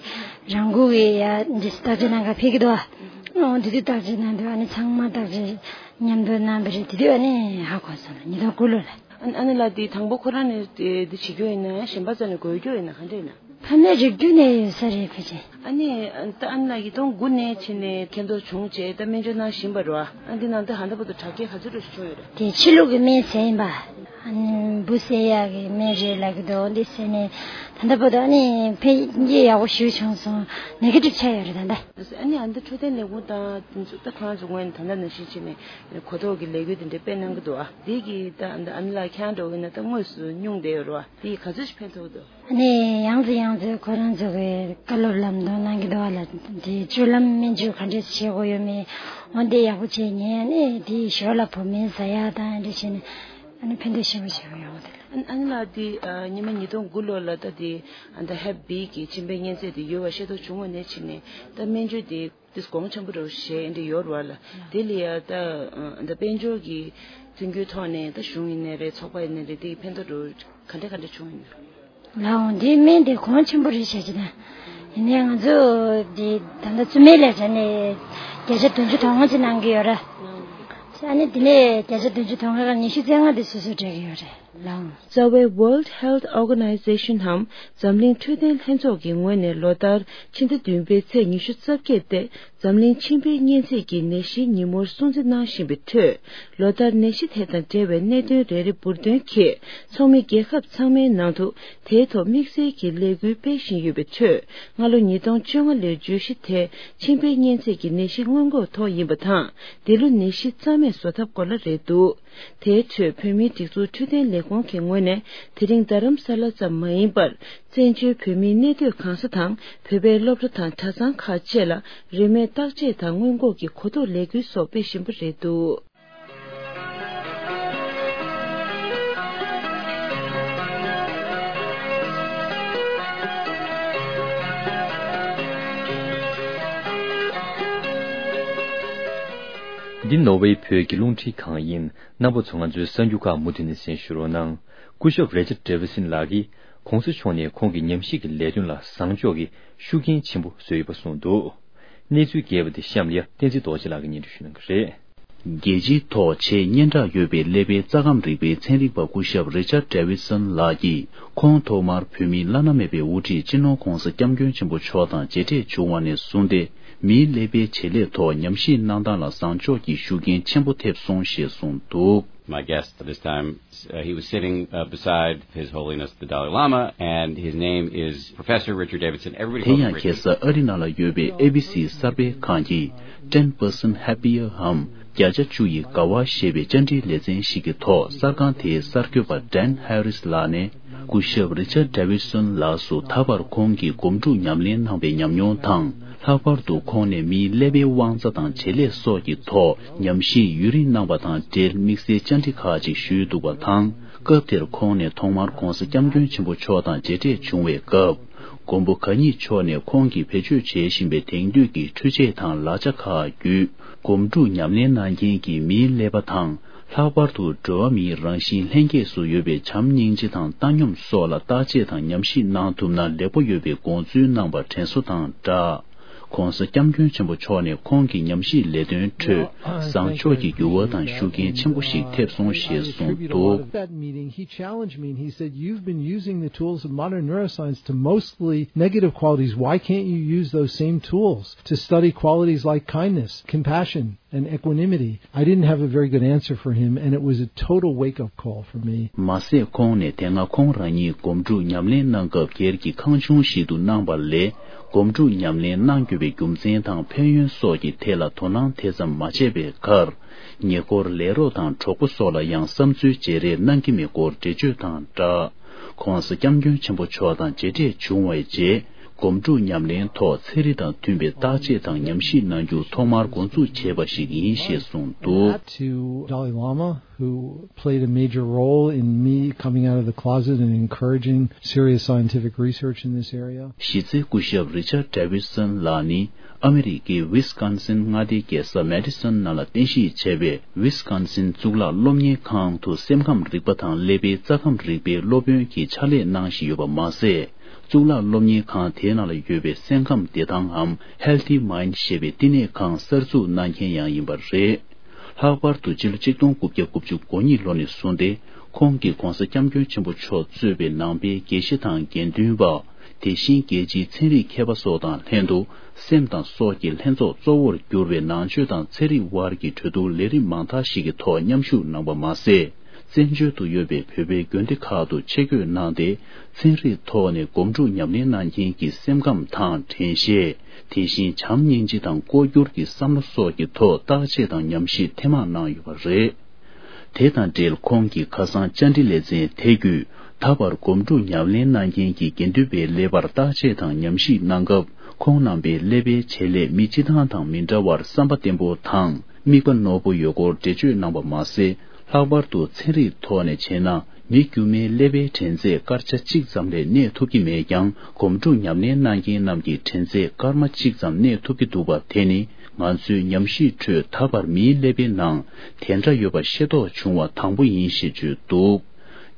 རང་འགུལ་གྱི་ཡ་འདི་བརྟག་དཔྱད་གནང་ག་ཕེབས་ཀྱི་འདུག་ཨ། འོ་དེ་དུས་བརྟག་དཔྱད་གནང་དུས་ཨ་ནི་ཚང་མ་བརྟག་དཔྱད་མཉམ་དུ་གནང་བ་རེད། དེ་དུས་ཨ་ནི་ཧ་གོ་སོང་ལ། ཉིས་སྟོང་དགུ་ལོ་ལ། ཨ་ཨ་ནི་ལ་དེ་དང་པོ་ཁོ་རང་ནས་དེ་དེ་བྱེད་རྒྱུ་ཡིན་ན་གཞན་པ་ཚོ་ནས་འགོས་རྒྱུ་ཡིན་ན་ག་འདྲ་ཡིན་ན། ཕ་མའི་རིགས་རྒྱུད་ནས་ཡོད་ས་རེད་ཕལ་ཆེར། ཨ་ནི་ད་ཨ་ནི་ལ་ཉིས་སྟོང་དགུ་ནས་ཕྱིན་ནས་མཁལ་རྡོག་བྱུང་བྱས་ད་སྨན་བཅོས་གནང་བཞིན་པ་རེད་བ། ཨ་འདི་ནང་དུ་ཧ་ད་བར་དུ་དྲག་སྐྱེད་ག་ཚོད་འགྲོ་ཞིག་བྱུང་ཡོད་རེད། དེ་ཕྱི་ལུགས་ཀྱི་སྨན་ཟས་ཡིན་པ། ཨ་ནི་འབུ་བསད་ཡག་གི་སྨན་རེད་ལབ་ཀྱི་འདུག་འདི་བསད་ནས་ད་ལྟ་བར་དུ་ཨ་ནི་འཕེལ་རྒྱས་ཡག་པོ་ཞིག་བྱུང་སོང་། ནེ་གེ་ཊིབ་ཆགས་ཡོད་རེད་ད་ལྟ། ཨ་ནི་ཨ་འདི་འཕྲོད་བསྟེན་ལས་ཁུངས་དང་དེ་ཚོ་ད་ཁོ་རང་ཚོ་ངོས་ནས་ད་ལྟ་ནང་བཞིན་བྱས་ནས་གོ་རྟོགས་ཀྱི་ལས་འགུལ་དེ་འདྲ་སྤེལ་གནང་གི་འདུག་ཨ། འདི་གི་ད་ཨ་ནི་ལ་ཁྱང་འགྲོ་གི་ན་ད་དངོས་སུ་སྨྱུང་བསྡད་ཡོད་རེད་བ། འདི་ག་ཚོད་ཞིག་ཕན་ཐོགས་འདུག་ཨ་ནི་ཡང་ཚོ་ཡང་ཚོ་ཁོ་རང་ཚོ་གི་བཀའ་སློབ་ལམ་སྟོན་གནང་གི་འདུག་ཨ་ལ། དེ་སྤྱོད་ལམ་སྨན་བཅོས་ག་འདྲས་བྱེད་དགོས་ཡོད་མེད་འོ་འདི་ཡག་པོ་བྱས་ཉན། ཨ་ནི་དེ་ཞོར་ལ་བོད་སྨན་ཟ་ཡག་དང་འདི་བྱས་ནས་ཨ་ནི་ཕན་ཐོགས་ཆེན་པོ་བྱེད་ཀྱི་ཡོད་རེད། ཨ་ཨ་ནི་ལ་དེ་ཉི་མ་ཉིས་སྟོང་དགུ་ལོ་ལ་ད་དེ་ཨ་ད་ཧེབ་བི་གི་མཆིན་པའི་གཉན་ཚད་དེ་ཡོད་པ་ཤེས་རྟོགས་བྱུང་བ་ནས་ཕྱིན་ནས་ད་སྨན་བཅོས་དེ་དེ་གོང་ཆེན་པོ་རེད་ཞེས་འདི་ཡོད་རེད་བ་ལ། དེ་ལ་ཡ་ད་ད་དཔལ་འབྱོར་གྱི་མཐུན་འགྱུར་ཐོག་ནས་ད་གཞུང་ཡིན་ནའི་རེད་ཚོགས་པ་ཡིན་ནའི་རེད། དེ་ཕན་ཐོགས་རུ་ག་འདྲ་ག་འདྲ་བྱུང་ཡིན་ན། ལའང་འདི་སྨན་དེ་གོང་ཆེན་པོ་རེད་བྱ་ཅི་ན། ཡིན་ནའི་ང་ཚོ་འདི་ད་ལྟ་བཙུན་མའི་ལས་བྱ་ནས་བརྒྱ་ཆ་བདུན་ཅུ་དོན་ལྔ་ཅིག་གནང་གི་ཡོད་ར། ཨ་ནི་དེ་ནས་བརྒྱ་ཆ་བདུན་ཅུ་དོན་ལྔ་ཀ་ཉི་ཤུ་རྩ་ལྔ་དེ་སོ་སོས་སྤྲད་ཀྱི་ཡོད་རེད་ལའང་། རྩ་བའི་World Health Organization་ནམ་འཛམ་གླིང་འཕྲོད་བསྟེན་ལྷན་ཚོགས་ཀྱི་ངོས་ནས་ལོ་ལྟར་ཕྱི་ཟླ་བདུན་པའི་ཚེས་ཉི་ཤུ་རྩ་བརྒྱད་སྟེ་འཛམ་གླིང་མཆིན་པའི་གཉན་ཚད་ཀྱི་ནད་གཞིའི་ཉིན་མོར་སྲུང་བརྩི་གནང་བཞིན་པའི་ཁྲོད། ལོ་ལྟར་ནད་གཞི་དེ་དང་འབྲེལ་བའི་གནད་དོན་རེ་རེ་འབུར་འདོན་གྱིས་ཚོགས་མི་རྒྱལ་ཁབ་ཚང་མའི་ནང་དུ་དེའི་ཐོག་དམིགས་བསལ་གྱི་ལས་འགུལ་སྤེལ་བཞིན་ཡོད་པའི་ཁྲོད། སྔ་ལོ་ཉིས་སྟོང་བཅོ་ལྔ་ལོའི་བརྗོད་གཞི་དེ་མཆིན་པའི་གཉན་ཚད་ཀྱི་ནད་གཞི་སྔོན་འགོག་ཐོག་ཡིན་པ་དང་། འདི་ལོ་ནད་གཞི་རྩ་མེད་བཟོ་ཐབས་སྐོར་ལ་རེད་འདུག་དེའི་ཁྲོད་བོད་མིའི་སྒྲིག་འཛུགས་འཕྲོད་བསྟེན་ལས་ཁུངས་ཀྱི་ངོས་ནས་དེ་རིང་རྡ་རམ་ས་ལ་ཙམ་མ་ཡིན་པར། བཙན་བྱོལ་བོད་མིའི་གནས་སྡོད་གང་ས་དང་བོད་པའི་སློབ་གྲྭ་དང་གྲྭ་ཚང་ཁག་བཅས་ལ་རིན་མེད་བརྟག་དཔྱད་དང་སྔོན་འགོག་གི་གོ་རྟོགས་ལས་འགུལ་སོགས་སྤེལ་བཞིན་པ་རེད་འདུག་འདི་ནོར་ཝེ་བོད་ཀྱི་རླུང་འཕྲིན་ཁང་ཡིན། རྣམ་པ་ཚོ་ང་ཚོའི་གསར་འགྱུར་ཁག་མུ་མཐུད་ནས་གསན་ཞུ་རོགས་གནང་། སྐུ་ཞབས་རེ་ཅར་ཌེ་ཝི་སན་ལགས་ཀྱིས་༸གོང་ས་མཆོག་ནས་ཁོང་གི་ཉམས་ཞིབ་ཀྱི་ལས་དོན་ལ་བཟང་ཕྱོགས་ཀྱི་ཤུགས་རྐྱེན་ཆེན་པོ་བཟོས་ཡོད་པ་གསུངས་འདུག་གནས་ཚུལ་རྒྱས་པ་དེ་གཤམ་ལ་བསྟན་འཛིན་རྡོ་རྗེ་ལགས་ཀྱིས་སྙན་སྒྲོན་ཞུ་གནང་གི་རེད། རྒྱལ་སྤྱིའི་ཐོག་ཆེས་སྙན་གྲགས་ཡོད་པའི་ཀླད་པའི་རྩ་ཁམས་རིག་པའི་ཚན་རིག་པ་སྐུ་ཞབས་རེ་ཅར་ཌེ་ཝི་སན་ལགས་ཀྱིས་ཁོང་ཐོག་མར་བོད་མིའི་བླ་ན་མེད་པའི་དབུ་ཁྲིད་སྤྱི་ནོར་༸གོང་ས་༸སྐྱབས་མགོན་ཆེན་པོ་མཆོག་དང་མཇལ་འཕྲད་བྱུང་བ་ནས་བཟུང་སྟེ། མིའི་ཀླད་པའི་བྱེད་ལས་ཐོག་ཉམས་ཞིབ་གནང་སྟངས་ལ་བཟང་ཕྱོགས་ཀྱི་ཤུགས་རྐྱེན་ཆེན་པོ་ཐེབས་སོང་ཞེས་གསུངས་འདུག My guest this time, uh, he was sitting uh, beside His Holiness the Dalai Lama, and his name is Professor Richard Davidson. Everybody དེ་ཡང་ཁ་སང་ཨ་རི་ནང་ལ་ཡོད་པའི་ཨེ་བི་སི་གསར་སྤེལ་ཁང་གི་Ten Percent Happier འམ་བརྒྱ་ཆ་བཅུ་ཡི་དགའ་བ་ཞེས་པའི་བཅར་འདྲིའི་ལེ་ཚན་ཞིག་གི་ཐོག་གསར་ཁང་དེའི་གསར་འགོད་པ་ཌན་ཧེ་རིས་ལགས་ནས། སྐུ་ཞབས་རི་ཅར་ཌེ་ཝིད་སོན་ལགས་སུ་ད་བར་ཁོང་གིས་སྒོམ་སྒྲུབ་ཉམས་ལེན་གནང་བའི་ཉམས་མྱོང་དང་། ལྷག་པར་དུ་ཁོང་ནས་མིའི་ཀླད་པའི་དབང་རྩ་དང་བྱེད་ལས་སོགས་ཀྱི་ཐོག་ཉམས་ཞིབ་ཡུན་རིང་གནང་བ་དང་འབྲེལ་དམིགས་བསལ་བཅར་འདྲི་ཁག་ཅིག་ཞུས་འདུག་པ་དང་། སྐབས་དེར་ཁོང་ནས་ཐོག་མར་༸གོང་ས་༸སྐྱབས་མགོན་ཆེན་པོ་མཆོག་དང་མཇལ་འཕྲད་བྱུང་བའི་སྐབས། མགོན་པོ་གང་ཉིད་མཆོག་ནས་ཁོང་གིས་བེད་སྤྱོད་བྱེད་བཞིན་པའི་དེང་དུས་ཀྱི་འཕྲུལ་ཆས་དང་ལག་ཆ་ཁག་བརྒྱུད། སྒོམ་སྒྲུབ་ཉམས་ལེན་གནང་མཁན་གྱི་མིའི་ཀླད་པ་དང་། ལྷག་པར་དུ་འགྲོ་བ་མིའི་རང་བཞིན་ལྷན་སྐྱེས་སུ་ཡོད་པའི་བྱམས་སྙིང་རྗེ་དང་བཏང་སྙོམས་སོགས་ལ་བརྟག་དཔྱད་དང་ཉམས་ཞིབ་གནང་ཐུབ་ན་ལེགས་པོ་ཡོད་པའི་དགོངས་ཚུལ་གནང་བ་དྲན་གསོ་དང་སྦྲགས། ༧གོང་ས་༧སྐྱབས་མགོན་ཆེན་པོ་མཆོག་ནས་ཁོང་གི་ཉམས་ཞིབ་ལས་དོན་ཁྲོད་བཟང་ཕྱོགས་ཀྱི་འགྱུར་བ་དང་ཤུགས་རྐྱེན་ཆེན་པོ་ཞིག་ཐེབས་སོང་ཞེས་གསུངས་འདུག། That meeting, he challenged me and he said, "You've been using the tools of modern neuroscience to mostly negative qualities. Why can't you use those same tools to study qualities like kindness, compassion, and equanimity?" I didn't have a very good answer for him, and it was a total wake-up call for me. མ་ཟད་ཁོང་ནས་དེ་སྔ་ཁོང་རང་ཉིད་སྒོམ་སྒྲུབ་ཉམས་ལེན་གནང་སྐབས་སྒེར་གྱི་ཁང་ཆུང་ཞིག་ཏུ་གནང་བ་ལས་སྒོམ་སྒྲུབ་ཉམས་ལེན་གནང་དགོས་པའི་རྒྱུ་མཚན་དང་ཕན་ཡོན་སོགས་ཀྱི་ཐད་ལ་དོ་སྣང་དེ་ཙམ་མ་བྱས་པའི་ཁར། ཉེ་འཁོར་ལས་རོགས་དང་གྲོགས་པོ་སོགས་ལ་ཡང་བསམ་ཚུལ་བརྗེ་རེས་གནང་གི་མེད་སྐོར་འགྲེལ་བརྗོད་དང་སྦྲགས། ༧གོང་ས་༧སྐྱབས་མགོན་ཆེན་པོ་མཆོག་དང་མཇལ་འཕྲད་བྱུང་བའི་རྗེས། སྒོམ་སྒྲུབ་ཉམས་ལེན་ཐོག་ཚན་རིག་དང་མཐུན་པའི་བརྟག་དཔྱད་དང་ཉམས་ཞིབ་གནང་རྒྱུ་ཐོག་མར་འགོ་འཛུགས་བྱས་པ་ཞིག་ཡིན་ཞེས་གསུངས་འདུག། To Dalai Lama, who played a major role in me coming out of the closet and encouraging serious scientific research in this area. གཞི་རྩའི་སྐུ་ཞབས་Richard Davidson ལགས་ནི་ཨ་མི་རི་ཀའི་ཝི་སི་ཀོན་སིན་མངའ་སྡེའི་རྒྱལ་ས་མེ་ཌི་སོན་ནང་ལ་རྟེན་གཞི་བྱས་པའི་ཝི་སི་ཀོན་སིན་གཙུག་ལག་སློབ་གཉེར་ཁང་དུ་སེམས་ཁམས་རིག་པ་དང་ཀླད་པའི་རྩ་ཁམས་རིག་པའི་སློབ་དཔོན་གྱི་ཕྱག་ལས་གནང་བཞིན་ཡོད་པ་མ་ཟད། གཙུག་ལག་སློབ་གཉེར་ཁང་དེའི་ནང་ལ་ཡོད་པའི་སེམས་ཁམས་བདེ་ཐང་འམ་Healthy Mind ཞེས་པའི་བསྟི་གནས་ཁང་གསར་འཛུགས་གནང་མཁན་ཡང་ཡིན་པ་རེད། ལྷག་པར་དུ་ཕྱི་ལོ་ཆིག་སྟོང་དགུ་བརྒྱ་དགུ་བཅུ་གོ་གཉིས་ལོ་ནས་བཟུང་སྟེ་ཁོང་གིས་༧གོང་ས་༧སྐྱབས་མགོན་ཆེན་པོ་མཆོག་གཙོས་པའི་ནང་པའི་དགེ་བཤེས་དང་དགེ་འདུན་པ། དེ་བཞིན་རྒྱལ་སྤྱིའི་ཚན་རིག་མཁས་པ་སོགས་དང་ལྷན་དུ་སེམས་དང་སྲོག་གི་ལྷན་ཚོགས་གཙོ་བོར་གྱུར་པའི་ནང་ཆོས་དང་ཚན་རིག་དབར་གྱི་གྲོས་བསྡུར་ལས་རིམ་མང་དག་ཞིག་གི་ཐོག་མཉམ་ཞུགས་གནང་པ་མ་ཟད། བཙན་བྱོལ་དུ་ཡོད་པའི་བོད་པའི་དགོན་སྡེ་ཁག་ཏུ་ཆེད་བསྐོས་གནང་སྟེ། ཚན་རིག་ཐོག་ནས་སྒོམ་སྒྲུབ་ཉམས་ལེན་གནང་མཁན་གྱི་སེམས་ཁམས་དང་དྲན་ཤེས། དེ་བཞིན་བྱམས་སྙིང་རྗེ་དང་ལྐོག་གྱུར་གྱི་བསམ་བློ་སོགས་ཀྱི་ཐོག་བརྟག་དཔྱད་དང་ཉམས་ཞིབ་ཐེངས་མང་གནང་ཡོད་པ་རེད། དེ་དང་འབྲེལ་ཁོང་གིས་ཁ་སང་བཅར་འདྲི་ལེ་ཚན་དེ་བརྒྱུད་ད་བར་སྒོམ་སྒྲུབ་ཉམས་ལེན་གནང་མཁན་གྱི་དགེ་འདུན་པའི་ཀླད་པར་བརྟག་དཔྱད་དང་ཉམས་ཞིབ་གནང་སྐབས་ཁོང་རྣམ་པའི་ཀླད་པའི་བྱེད་ལས་མི་སྤྱི་བཏང་དང་མི་འདྲ་བར་བསམ་པ་བརྟན་པོ་དང་། དམིགས་པ་རྣོ་པོ་ཡོད་སྐོར་འགྲེལ་བརྗོད་གནང་པ་མ་ཟད། ལྷག་པར་དུ་ཚན་རིག་ཐོག་ནས་བྱས་ན་མི་དཀྱུས་མའི་ཀླད་པའི་དྲན་ཚད་སྐར་ཆ་གཅིག་ཙམ་ལས་གནས་ཐུབ་ཀྱི་མེད་ཀྱང་། སྒོམ་སྒྲུབ་ཉམས་ལེན་གནང་མཁན་རྣམས་ཀྱི་དྲན་ཚད་སྐར་མ་གཅིག་ཙམ་གནས་ཐུབ་ཀྱི་འདུག་པ། དེ་ནི་ང་ཚོའི་ཉམས་ཞིབ་ཁྲོད་ད་བར་མིའི་ཀླད་པའི་ནང་དེ་འདྲ་ཡོད་པ་ཤེས་རྟོགས་བྱུང་བ་དང་པོ་ཡིན་ཞེས་བརྗོད་འདུག།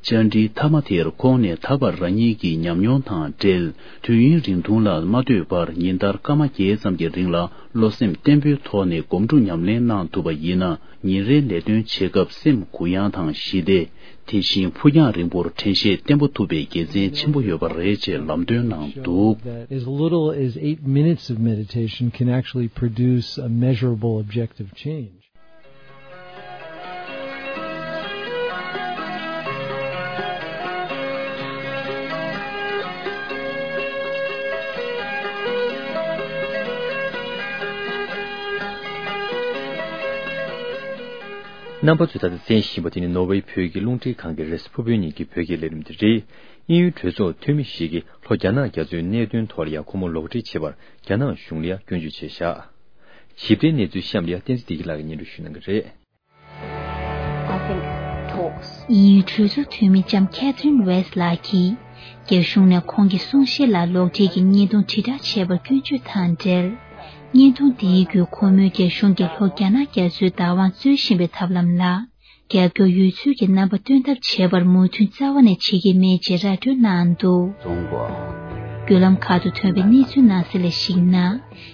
བཅར་འདྲིའི་མཐའ་མ་དེར་ཁོང་ནས་ད་བར་རང་ཉིད་ཀྱི་ཉམས་མྱོང་དང་འབྲེལ། དུས་ཡུན་རིང་ཐུང་ལ་མ་ལྟོས་པར་ཉིན་ལྟར་སྐར་མ་བརྒྱད་ཙམ་གྱི་རིང་ལ་བློ་སེམས་བརྟན་པོའི་ཐོག་ནས་སྒོམ་སྒྲུབ་ཉམས་ལེན་གནང་ཐུབ་པ་ཡིན་ན། ཉིན་རེའི་ལས་དོན་བྱེད་སྐབས་སེམས་གུ་ཡངས་དང་ཞི་བདེ། དེ་བཞིན་ཕུགས་རྒྱང་རིང་པོར་དྲན་ཤེས་བརྟན་པོ་ཐུབ་པའི་དགེ་མཚན་ཆེན་པོ་ཡོད་པ་རེད་ཅེས་ལམ་སྟོན་གནང་འདུག། That as little as eight minutes of meditation can actually produce a measurable objective change. རྣམ་པ་ཚོས་ད་ལྟ་གསན་བཞིན་པ་དེ་ནི་ནོར་ཝེ་བོད་ཀྱི་རླུང་འཕྲིན་ཁང་གི་རེས་གཟའ་ཕུར་བུའི་ཉིན་གྱི་བོད་སྐད་ལས་རིམ་དེ་རེད། དབྱིན་ཡུལ་གྲོས་ཚོགས་འཐུས་མི་ཞིག་གིས་ལྷོ་རྒྱ་ནག་རྒྱ་མཚོའི་གནད་དོན་ཐོག་ལ་ཡང་ཁོ་མོ་ལོག་འགྲེལ་བྱེད་པར་རྒྱ་ནག་གཞུང་ལ་ཡང་སྐྱོན་བརྗོད་བྱས་བཞག། ཞིབ་ཕྲའི་གནས་ཚུལ་གཤམ་ལ་ཡང་བསྟན་འཛིན་བདེ་སྐྱིད་ལགས་ཀྱིས་སྙན་སྒྲོན་ཞུ་གནང་གི་རེད། I think talks དབྱིན་ཡུལ་གྲོས་ཚོགས་འཐུས་མི་ལྕམ་Catherine West ལགས་ཀྱིས། རྒྱ་གཞུང་ནས་ཁོང་གི་གསུང་བཤད་ལ་ལོག་འགྲེལ་གྱི་བརྙན་ཐུང་དྲིལ་བསྒྲགས་བྱས་པར་སྐྱོན་བརྗོད་དང་འབྲེལ། བརྙན་ཐུང་དེའི་བརྒྱུད་ཁོ་མོས་རྒྱ་གཞུང་གིས་ལྷོ་རྒྱ་ནག་རྒྱ་མཚོའི་བདག་དབང་རྩོད་བཞིན་པའི་ཐབས་ལམ་ལ། རྒྱབ་སྐྱོར་ཡོད་ཚུལ་གྱི་རྣམ་པ་སྟོན་ཐབས་བྱས་པར་མོས་མཐུན་རྩ་བ་ནས་བྱེད་ཀྱི་མེད་ཅེས་ར་སྤྲོད་གནང་འདུག། བརྒྱུད་ལམ་ཁག་ཏུ་ཐོན་པའི་གནས་ཚུལ་ནང་གསལ་ལ་གཞིགས་ན།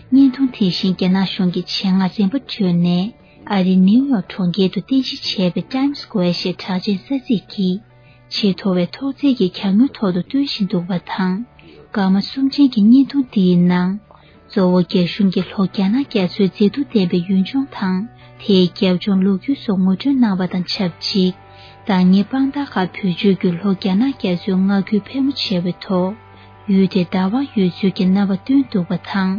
བརྙན་ཐུང་དེ་བཞིན་རྒྱ་ནག་གཞུང་གིས་ཆེད་མངགས་རིམ་པ་བགྲོད་ནས་ཨ་རིའི་ནིའུ་ཡོག་གྲོང་ཁྱེར་དུ་རྟེན་གཞི་བྱས་པའི་Times Square ཞེས་གྲགས་ཅན་ས་ཚིགས་ཀྱི་ཆེས་མཐོ་བའི་ཐོག་བརྩེགས་ཀྱི་གྱང་ངོས་ཐོག་ཏུ་སྟོན་བཞིན་འདུག་པ་དང་། སྐར་མ་གསུམ་ཅན་གྱི་བརྙན་ཐུང་དེའི་ནང་། གཙོ་བོ་རྒྱ་གཞུང་གིས་ལྷོ་རྒྱ་ནག་རྒྱ་མཚོའི་མཛེས་སྡུག་ལྡན་པའི་ཡུལ་ལྗོངས་དང་། དེའི་རྒྱབ་ལྗོངས་ལོ་རྒྱུས་སོགས་ངོ་སྤྲོད་གནང་བ་དང་ཆབས་ཅིག། བདག་ཉིད་དཔང་རྟགས་ཁག་བེད་སྤྱོད་བརྒྱུད་ལྷོ་རྒྱ་ནག་རྒྱ་མཚོའི་མངའ་ཁུལ་ཕལ་མོ་ཆེ་བའི་ཐོག་ཡུལ་དེར་བདག་དབང་ཡོད་ཚུལ་གྱི་རྣམ་པ་སྟོན་འདུག་པ་དང་།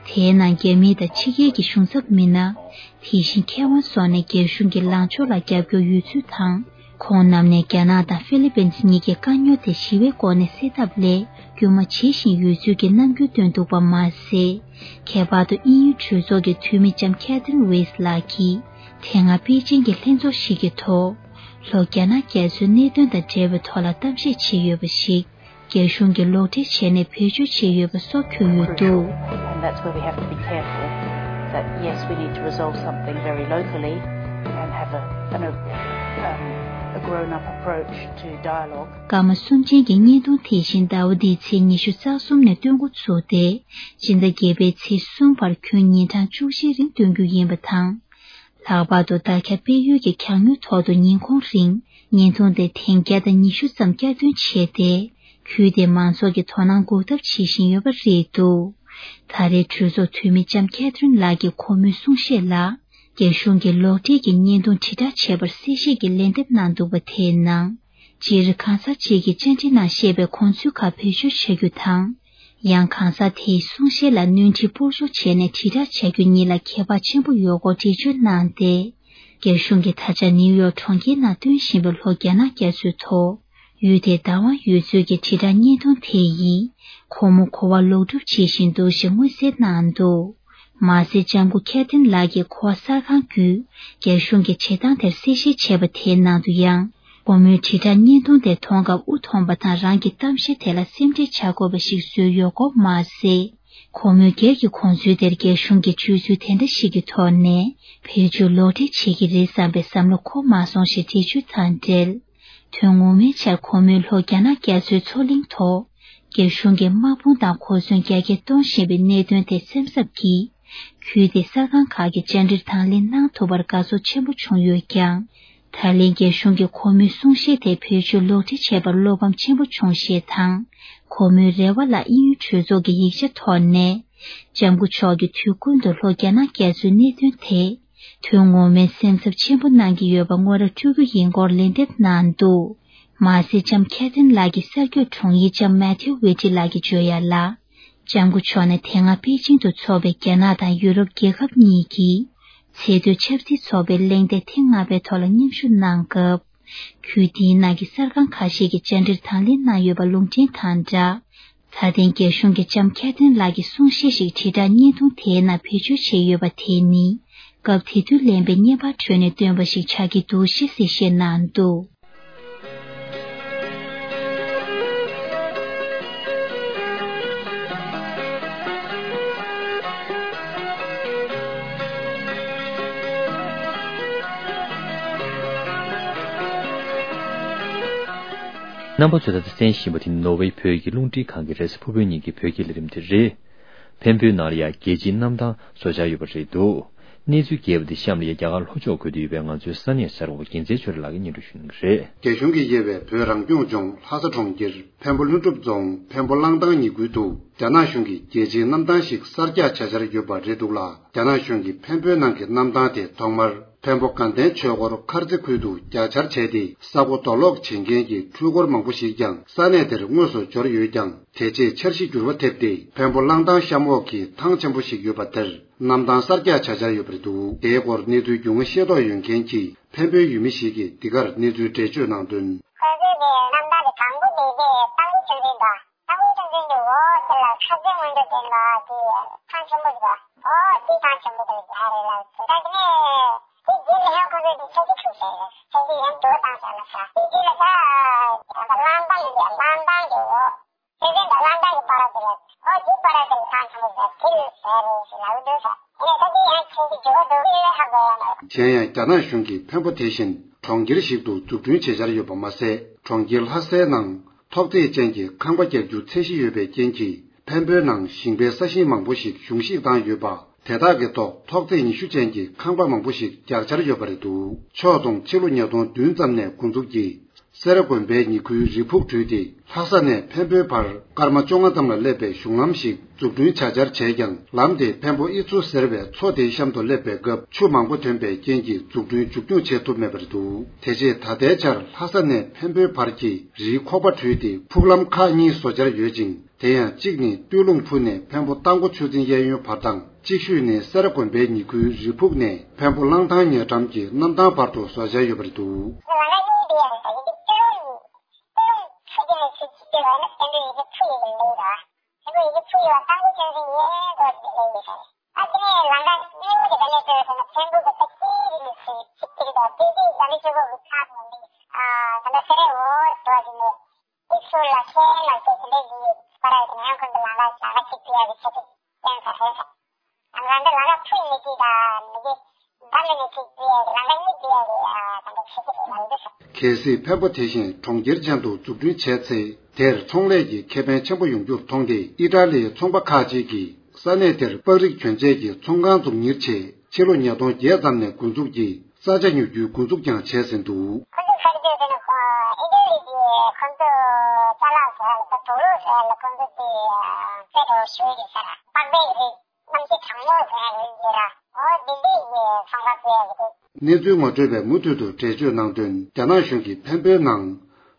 དེའི་ནང་རྒྱ་མི་དང་ཕྱི་རྒྱལ་གྱི་གཞུང་ཚབ་མི་སྣ། དེ་བཞིན་མཁས་དབང་སོགས་ནས་རྒྱ་གཞུང་གི་ལངས་ཕྱོགས་ལ་རྒྱབ་སྐྱོར་ཡོད་ཚུལ་དང་། ཁོང་རྣམས་ནས་རྒྱ་ནག་དང་ཧྥི་ལི་པིན་གཉིས་ཀྱི་དཀའ་རྙོག་དེ་ཞི་བའི་སྒོ་ནས་སེལ་ཐབས་སླད་སྐུལ་མ་བྱེད་བཞིན་ཡོད་ཚུལ་གྱི་རྣམ་འགྱུར་སྟོན་འདུག་པ་མ་ཟད། ཁྱད་པར་དུ་དབྱིན་ཡུལ་གྲོས་ཚོགས་ཀྱི་འཐུས་མི་ལྕམ་Catherine West ལགས་ཀྱིས་དེ་སྔ་པེ་ཅིང་གི་ལྷན་ཚོགས་ཤིག་གི་ཐོག་ལྷོ་རྒྱ་ནག་རྒྱ་མཚོའི་གནད་དོན་དང་འབྲེལ་བའི་ཐོག་ལ་གཏམ་བཤད་བྱས་ཡོད་པ་ཞིག་རྒྱ་གཞུང་གིས་ལོག་འགྲེལ་བྱས་ནས་བེད་སྤྱོད་བྱས་ཡོད་པ་སོགས་འཁོད་ཡོད་འདུག། And that's where we have to be careful that, yes, we need to resolve something very locally and have a, an, a, um, a grown-up approach to dialogue. སྐར་མ་གསུམ་ཅན་གྱི་བརྙན་ཐུང་དེ་བཞིན་ཟླ་བ་འདིའི་ཚེས་ཉི་ཤུ་རྩ་གསུམ་ནས་སྟོན་འགོ་ཚུགས་ཏེ། སྤྱི་ཟླ་བརྒྱད་པའི་ཚེས་གསུམ་བར་ཁྱོན་ཉིན་གྲངས་བཅུ་བཞིའི་རིང་སྟོན་རྒྱུ་ཡིན་པ་དང་། ལྷག་པར་དུ་བརྡ་ཁྱབ་སྤེལ་ཡུལ་གྱི་གྱང་ཉོའི་ཐོག་ཏུ་ཉིན་གུང་རིང་བརྙན་ཐུང་དེ་ཐེངས་བརྒྱ་དང་ཉི་ཤུ་ཙམ་བསྐྱར་ཐོན་བྱས་ཏེ། ཁུལ་དེའི་མང་ཚོགས་ཀྱི་དོ་སྣང་འགུག་ཐབས་བྱེད་བཞིན་ཡོད་པ་རེད་འདུག་ད་རེས་གྲོས་ཚོགས་འཐུས་མི་ལྕམ་ཁེ་ཐི་རིན་ལགས་ཀྱིས་ཁོ་མོའི་གསུང་བཤད་ལ། རྒྱ་གཞུང་གིས་ལོག་འགྲེལ་གྱི་བརྙན་ཐུང་དྲིལ་བསྒྲགས་བྱས་པར་གསལ་བཤད་ཀྱི་ལན་འདེབས་གནང་འདུག་པ་དེའི་ནང་། སྤྱིར་གང་ཟག་ཅིག་གིས་བཅར་འདྲི་ནང་བཤད་པའི་དགོངས་ཚུལ་ཁག་བེད་སྤྱོད་བྱ་རྒྱུ་དང་། ཡང་གང་ཟག་དེའི་གསུང་བཤད་ལ་སྣོན་འཕྲི་སྤོར་སྦྱོར་བྱས་ནས་དྲིལ་བསྒྲགས་བྱ་རྒྱུ་གཉིས་ལ་ཁྱད་པར་ཆེན་པོ་ཡོད་སྐོར་འགྲེལ་བརྗོད་གནང་སྟེ། རྒྱ་གཞུང་གིས་ད་ཆ་ནིའུ་ཡོག་གྲོང་ཁྱེར་ནང་སྟོན་བཞིན་པའི་ལྷོ་རྒྱ་ནག་རྒྱ་མཚོའི་ཐོག་ཡུལ་དེའི་བདག་དབང་ཡོད་ཚུལ་གྱི་དྲིལ་བསྒྲགས་བརྙན་ཐུང་དེ་ཡིས། ཁོ་མོ་གོ་བ་ལོག་སྒྲུབ་བྱེད་བཞིན་འདུག་ཞེས་མངོན་གསལ་གནང་འདུག་མ་ཟད་ལྕམ་སྐུ་ཁེ་ཐིན་ལགས་ཀྱིས་གོ་བ་གསར་ཁང་བརྒྱུད། རྒྱ་གཞུང་གིས་བྱེད་སྟངས་དེར་གསལ་བཤད་བྱས་པ་དེའི་ནང་དུ་ཡང་། ཁོ་མོའི་དྲིལ་བསྒྲགས་བརྙན་ཐུང་དེ་མཐོང་སྐབས་དབུ་འཐོམས་པ་དང་། རང་གི་གཏམ་བཤད་དེ་ལ་སེམས་ཁྲལ་བྱ་དགོས་པ་ཞིག་བཟོས་ཡོད་སྐོར་མ་ཟད། ཁོ་མོའི་སྒེར་གྱི་དགོངས་ཚུལ་དེར་རྒྱ་གཞུང་གིས་བརྗོད་ཚུལ་དེ་འདྲ་ཞིག་གི་ཐོག་ནས་བེད་སྤྱོད་ལོག་འགྲེལ་བྱེད་ཀྱི་རེད་བསམ་པའི་བསམ་བློ་འཁོར་མ་སོང་ཞེས་འགྲེལ་བརྗོད་དང་འབྲེལ། དོན་ངོ་མའི་ཆར་ཁོ་མོས་ལྷོ་རྒྱ་ནག་རྒྱ་མཚོའི་མཚོ་གླིང་ཐོག་རྒྱ་གཞུང་གིས་དམག་དཔུང་དང་གོ་མཚོན་རྒྱ་སྐྱེད་གཏོང་བཞིན་པའི་གནད་དོན་དེ་སེམས་འཚབ་ཀྱིས། ཁུལ་དེའི་གསར་ཁང་ཁག་གིས་བཅར་འདྲིར་དང་ལེན་གནང་ཐུབ་པར་དགའ་ཚོར་ཆེན་པོ་བྱུང་ཡོད་ཀྱང་། ད་ལན་རྒྱ་གཞུང་གིས་ཁོ་མོའི་གསུང་བཤད་དེ་བེད་སྤྱོད་ལོག་འགྲེལ་བྱས་པར་བློ་ཕམ་ཆེན་པོ་བྱུང་ཞེས་དང་། ཁོ་མོའི་རེ་བ་ལ་དབྱིན་ཡུལ་གྲོས་ཚོགས་ཀྱི་ཡིག་ཆ་ཐོག་ནས། ལྕམ་སྐུ་མཆོག་གིས་དུས་ཀུན་ཏུ་ལྷོ་རྒྱ་ནག་རྒྱ་མཚོའི་གནད་དོན་དེ། དོན་ངོ་མའི་སེམས་འཚབ་ཆེན་པོ་གནང་གི་ཡོད་པ་ངོ་ར་སྤྲོད་རྒྱུ་ཡིན་སྐོར་ལན་འདེབས་གནང་འདུག་མ་ཟད་ལྕམ་ཁེ་ཐིན་ལགས་ཀྱི་གསར་འགོད་དྲུང་ཡིག་ལྕམ་མེ་ཐིའུ་ཝེ་ཏི་ལགས་ཀྱིས་བརྗོད་ཡ་ལ། ལྕམ་སྐུ་མཆོག་ནས་དེ་སྔ་པེ་ཅིང་དུ་འཚོགས་པའི་རྒྱ་ནག་དང་ཡུ་རོབ་རྒྱལ་ཁབ་གཉིས་ཀྱི་ཚད་མཐོའི་ཆབ་སྲིད་ཚོགས་པའི་གླེང་སྟེགས་ཐེངས་ལྔ་པའི་ཐོག་ལ་མཉམ་ཞུགས་གནང་སྐབས། ཁུལ་དེའི་ནང་གི་གསར་ཁང་ཁ་ཤས་ཀྱིས་བཅར་འདྲིར་དང་ལེན་གནང་ཡོད་པ་ལུང་འདྲེན་དང་སྦྲགས། ད་ཐེངས་རྒྱ་གཞུང་གིས་ལྕམ་ཁེ་ཐིན་ལགས་ཀྱི་གསུང་བཤད་ཞིག་དྲིལ་བསྒྲགས་བརྙན་ཐུང་དེའི་ནང་བེད་སྤྱོད་བྱས་ཡོད་པ་དེ་ནི། སྐབས་དེ་དུས་ལེན་པའི་བརྙན་པར་ཁྲོད་ནས་བཏོན་པ་ཞིག་ཆགས་ཀྱི་འདུག་ཞེས་གསལ་བཤད་གནང་འདུག་རྣམ་པ་ཚོས་ད་ལྟ་གསན་བཞིན་པ་དེ་ནི་ནོར་ཝེ་བོད་ཀྱི་རླུང་འཕྲིན་ཁང་གི་རེས་གཟའ་ཕུར་བུའི་ཉིན་གྱི་བོད་སྐད་ལས་རིམ་དེ་རེད། འཕན་པོའི་ནང་ལ་ཡང་རྒྱལ་སྤྱིའི་གནམ་ཐང་བཟོ་འཆར་ཡོད་པ་རེད་འདུག་གནས་ཚུལ་རྒྱས་པ་འདི་གཤམ་ལ་ཡང་རྒྱ་གར་ལྷོ་ཕྱོགས་ཁུལ་དུ་ཡོད་པའི་ང་ཚོའི་ས་གནས་གསར་འགོད་པ་རྒྱལ་མཚན་ཆོས་སྒྲོན་ལགས་ཀྱིས་སྙན་སྒྲོན་ཞུ་གནང་གི་རེད། རྒྱ་གཞུང་གིས་དབྱེ་བའི་བོད་རང་སྐྱོང་ལྗོངས་ལྷ་ས་གྲོང་ཁྱེར་འཕན་པོ་ལྷུན་གྲུབ་རྫོང་འཕན་པོ་གླང་ཐང་ཉེ་ཁུལ་དུ་རྒྱ་ནག་གཞུང་གིས་རྒྱལ་སྤྱིའི་གནམ་ཐང་ཞིག་གསར་རྒྱག་བྱ་འཆར་ཡོད་པ་རེད་འདུག་ལ། རྒྱ་ནག་གཞུང་གིས་འཕན་པོའི་ནང་གི་གནམ་ཐང་དེ་ཐོག་མར་འཕན་པོ་དགའ་ལྡན་ཆོས་འཁོར་མཁར་རྩེ་ཁུལ་དུ་རྒྱག་འཆར་བྱས་ཏེ། ས་སྒོ་རྡོ་སློག་བྱེད་མཁན་གྱི་འཕྲུལ་འཁོར་མང་པོ་ཞིག་ཀྱང་ས་གནས་དེར་དངོས་སུ་འབྱོར་ཡོད་ཀྱང་། དེ་རྗེས་འཆར་གཞི་འགྱུར་བ་ཐེབས་ཏེ། འཕན་པོ་གླང་ཐང་གཤམ་འོག་གི་ཐང་ཆེན་པོ་ཞིག་ཡོད་པ་དེར་གནམ་ཐང་གསར་རྒྱག་བྱ་འཆར་ཡོད་པ་རེད་འདུག་དེའི་སྐོར་གནས་ཚུལ་རྒྱུས་མངའ་ཤེས་རྟོགས་ཡོད་མཁན་གྱི་འཕན་པོའི་ཡུལ་མི་ཞིག་གིས་འདི་གར་གནས་ཚུལ་འགྲེལ་བརྗོད་གནང་དོན། ཁ་སང་གི་གནམ་ཐང་གི་དང་པོ་དེ་གའི་གཙང་པོ་ཆུ་འཛིན་དང་། གཙང་པོ་ཆུ་འཛིན་གྱི་འོག་དེ་ལ་ཁ་རྩེ་སྔོན་འགྲོ་ལྡན་པ་དེ་ཐང་ཆེན་པོ་ཞིག་འོ་དེ་ཐང་ཆེན་པོ་དེ་ལ་རྒྱག་རེད་ལབ་ཟེར། ད་དེ་ནས་དེ་རྗེས་ལ་ཡང་ཁོ་ཚོས་དེ་འཆར་གཞི་བཙུགས་བྱས་རེད། འཆར་གཞི་ཡང་འགྱུར་བ་བཏང་བྱས་ལབ་ས། དེ་རྗེས་ལ་ད་ད་གླང་ཐང་ཡིན་པས་གླང་ཐང་གི་འོག་ཆུ་འཛིན་དང་གླང་ཐང་གི་བར་དེ་ལ་འོ་དེ་བར་དེ་ལ་ཐང་ཆེན་པོ་ཞིག་དེ་ལ་རྒྱག་རེད་ཟེར་ལབ་འདུག་ས། དེ་ནས་ད་དེ་ཡང་འཆར་གཞི་འགྱུར་བ་འདུག་དེ་ཧ་གོ་ཡ་མ་རེད། གཞན་ཡང་རྒྱ་ནག་གཞུང་གིས་འཕན་པོ་དེ་བཞིན་གྲོང་ཁྱེར་ཞིག་ཏུ་འཛུགས་སྐྲུན་བྱེད་འཆར་ཡོད་པ་མ་ཟད། གྲོང་ཁྱེར་ལྷ་སའི་ནང་ཐོག་བརྩེགས་ཅན་གྱི་ཁང་པ་རྒྱག་རྒྱུ་ཚད་གཞི་ཡོད་པའི་རྐྱེན་གྱིས། འཕན་པོའི་ནང་ཞིང་པའི་ས་ཞིང་མང་པོ་ཞིག་གཞུང་བཞེས་བཏང་ཡོད་པ། དེ་དག་གི་ཐོག་ཐོག་བརྩེགས་ཉི་ཤུ་ཅན་གྱི་ཁང་པ་མང་པོ་ཞིག་རྒྱག་འཆར་ཡོད་པ་རེད་འདུག་ཕྱོགས་བསྡོམས་ཕྱི་ལོ་ཉིས་སྟོང་བདུན་ཙམ་ནས་འགོ་འཛུགས་ཀྱིས། སེ་ར་དགོན་པའི་ཉེ་ཁུལ་རི་ཕུག་བྲུས་ཏེ། ལྷ་ས་ནས་འཕན་པོའི་བར་སྐར་མ་བཅོ་ལྔ་ཙམ་ལ་སླེབས་པའི་གཞུང་ལམ་ཞིག་འཛུགས་སྐྲུན་བྱ་འཆར་བྱས་ཀྱང་། ལམ་དེ་འཕན་པོ་ཨི་ཚུ་ཟེར་བའི་མཚོ་དེའི་གཤམ་དུ་སླེབས་པའི་སྐབས། ཆུ་མང་པོ་ཐོན་པའི་རྐྱེན་གྱིས་འཛུགས་སྐྲུན་མཇུག་སྐྱོང་བྱེད་ཐུབ་མེད་པ་རེད་འདུག་དེ་རྗེས་ད་ལྟའི་ཆར་ལྷ་ས་ནས་འཕན་པོའི་བར་གྱི་རིའི་ཁོག་པ་བྲུས་ཏེ། ཕུག་ལམ་ཁག་གཉིས་བཟོ་འཆར་ཡོད་ཅིང་། དེ་ཡང་གཅིག་ནི་སྟོད་ལུང་ཕུ་ནས་འཕན་པོ་རྟ་མགོ་ཆུ་འཛིན་གཡས་གཡོན་བར་དང་། གཅིག་ཤོས་ནི་སེ་ར་དགོན་པའི་ཉེ་ཁུལ་རི་ཕུག་ནས་འཕན་པོ་གླང་ཐང་ཉེ་འགྲམ་གྱི་གནམ་ཐང་བར་དུ་བཟོ་འཆར་ཡོད་པ་རེད་འདུག་ད་ལས་ནས་ཅིག་བྱེད་ཡ་རེད། ལམ་ཁ་གཉིས་བྱེད་ཡ་རེད། ད་འདི་བྱེད་ཀྱི་རེད་ལབ་འདུག་ཟེར། གལ་སྲིད་འཕན་པོ་དེ་བཞིན་གྲོང་ཁྱེར་ཅན་དུ་འཛུགས་སྐྲུན་བྱས་ཚེ། དེར་ཚོང་ལས་ཀྱི་ཁེ་ཕན་ཆེན་པོ་ཡོང་རྒྱུར་མཐོང་སྟེ། ཨི་ཊ་ལིའི་ཚོང་པ་ཁག་ཅིག་གིས་ས་གནས་དེར་པགས་རིགས་གྱོན་ཆས་ཀྱི་ཚོང་ཁང་འཛུགས་གཉེར་ཆེད། ཕྱི་ལོ་ཉིས་སྟོང་བརྒྱད་ཙམ་ནས་འགོ་འཛུགས་ཀྱིས་ས་ཆ་ཉོ་རྒྱུའི་འགོ་འཛུགས་ཀྱང་བྱས་ཟིན་འདུག། ཁོ་ཚོས་ཁ་རྒྱུ་དེ་ནི་ཨི་ཊ་ལི་གི་ཁོ་ཚོ་ཅ་ལག་ཟེར་ཡ་ལ་དུག་ལོག་ཟེར་ཡ་ལ་ཁོ་ཚོ་དེ་རྩེ་འགྲོ་ཞུ་གི་ཟེར། པགས་པའི་རིགས། གནམ་གཤིས་གྲང་མོ་ཟེར་ཡ་ལ་འདི་ར། འོ་འདི་འདི་ཡི་ཚོང་པ་བཙལ་ཡ་གི་འདུག། གནས་ཚུལ་ངོ་སྤྲོད་པས་མུ་མཐུད་དུ་འགྲེལ་བརྗོད་གནང་དོན། རྒྱ་ནག་གཞུང་གིས་འཕན་པོའི་ནང་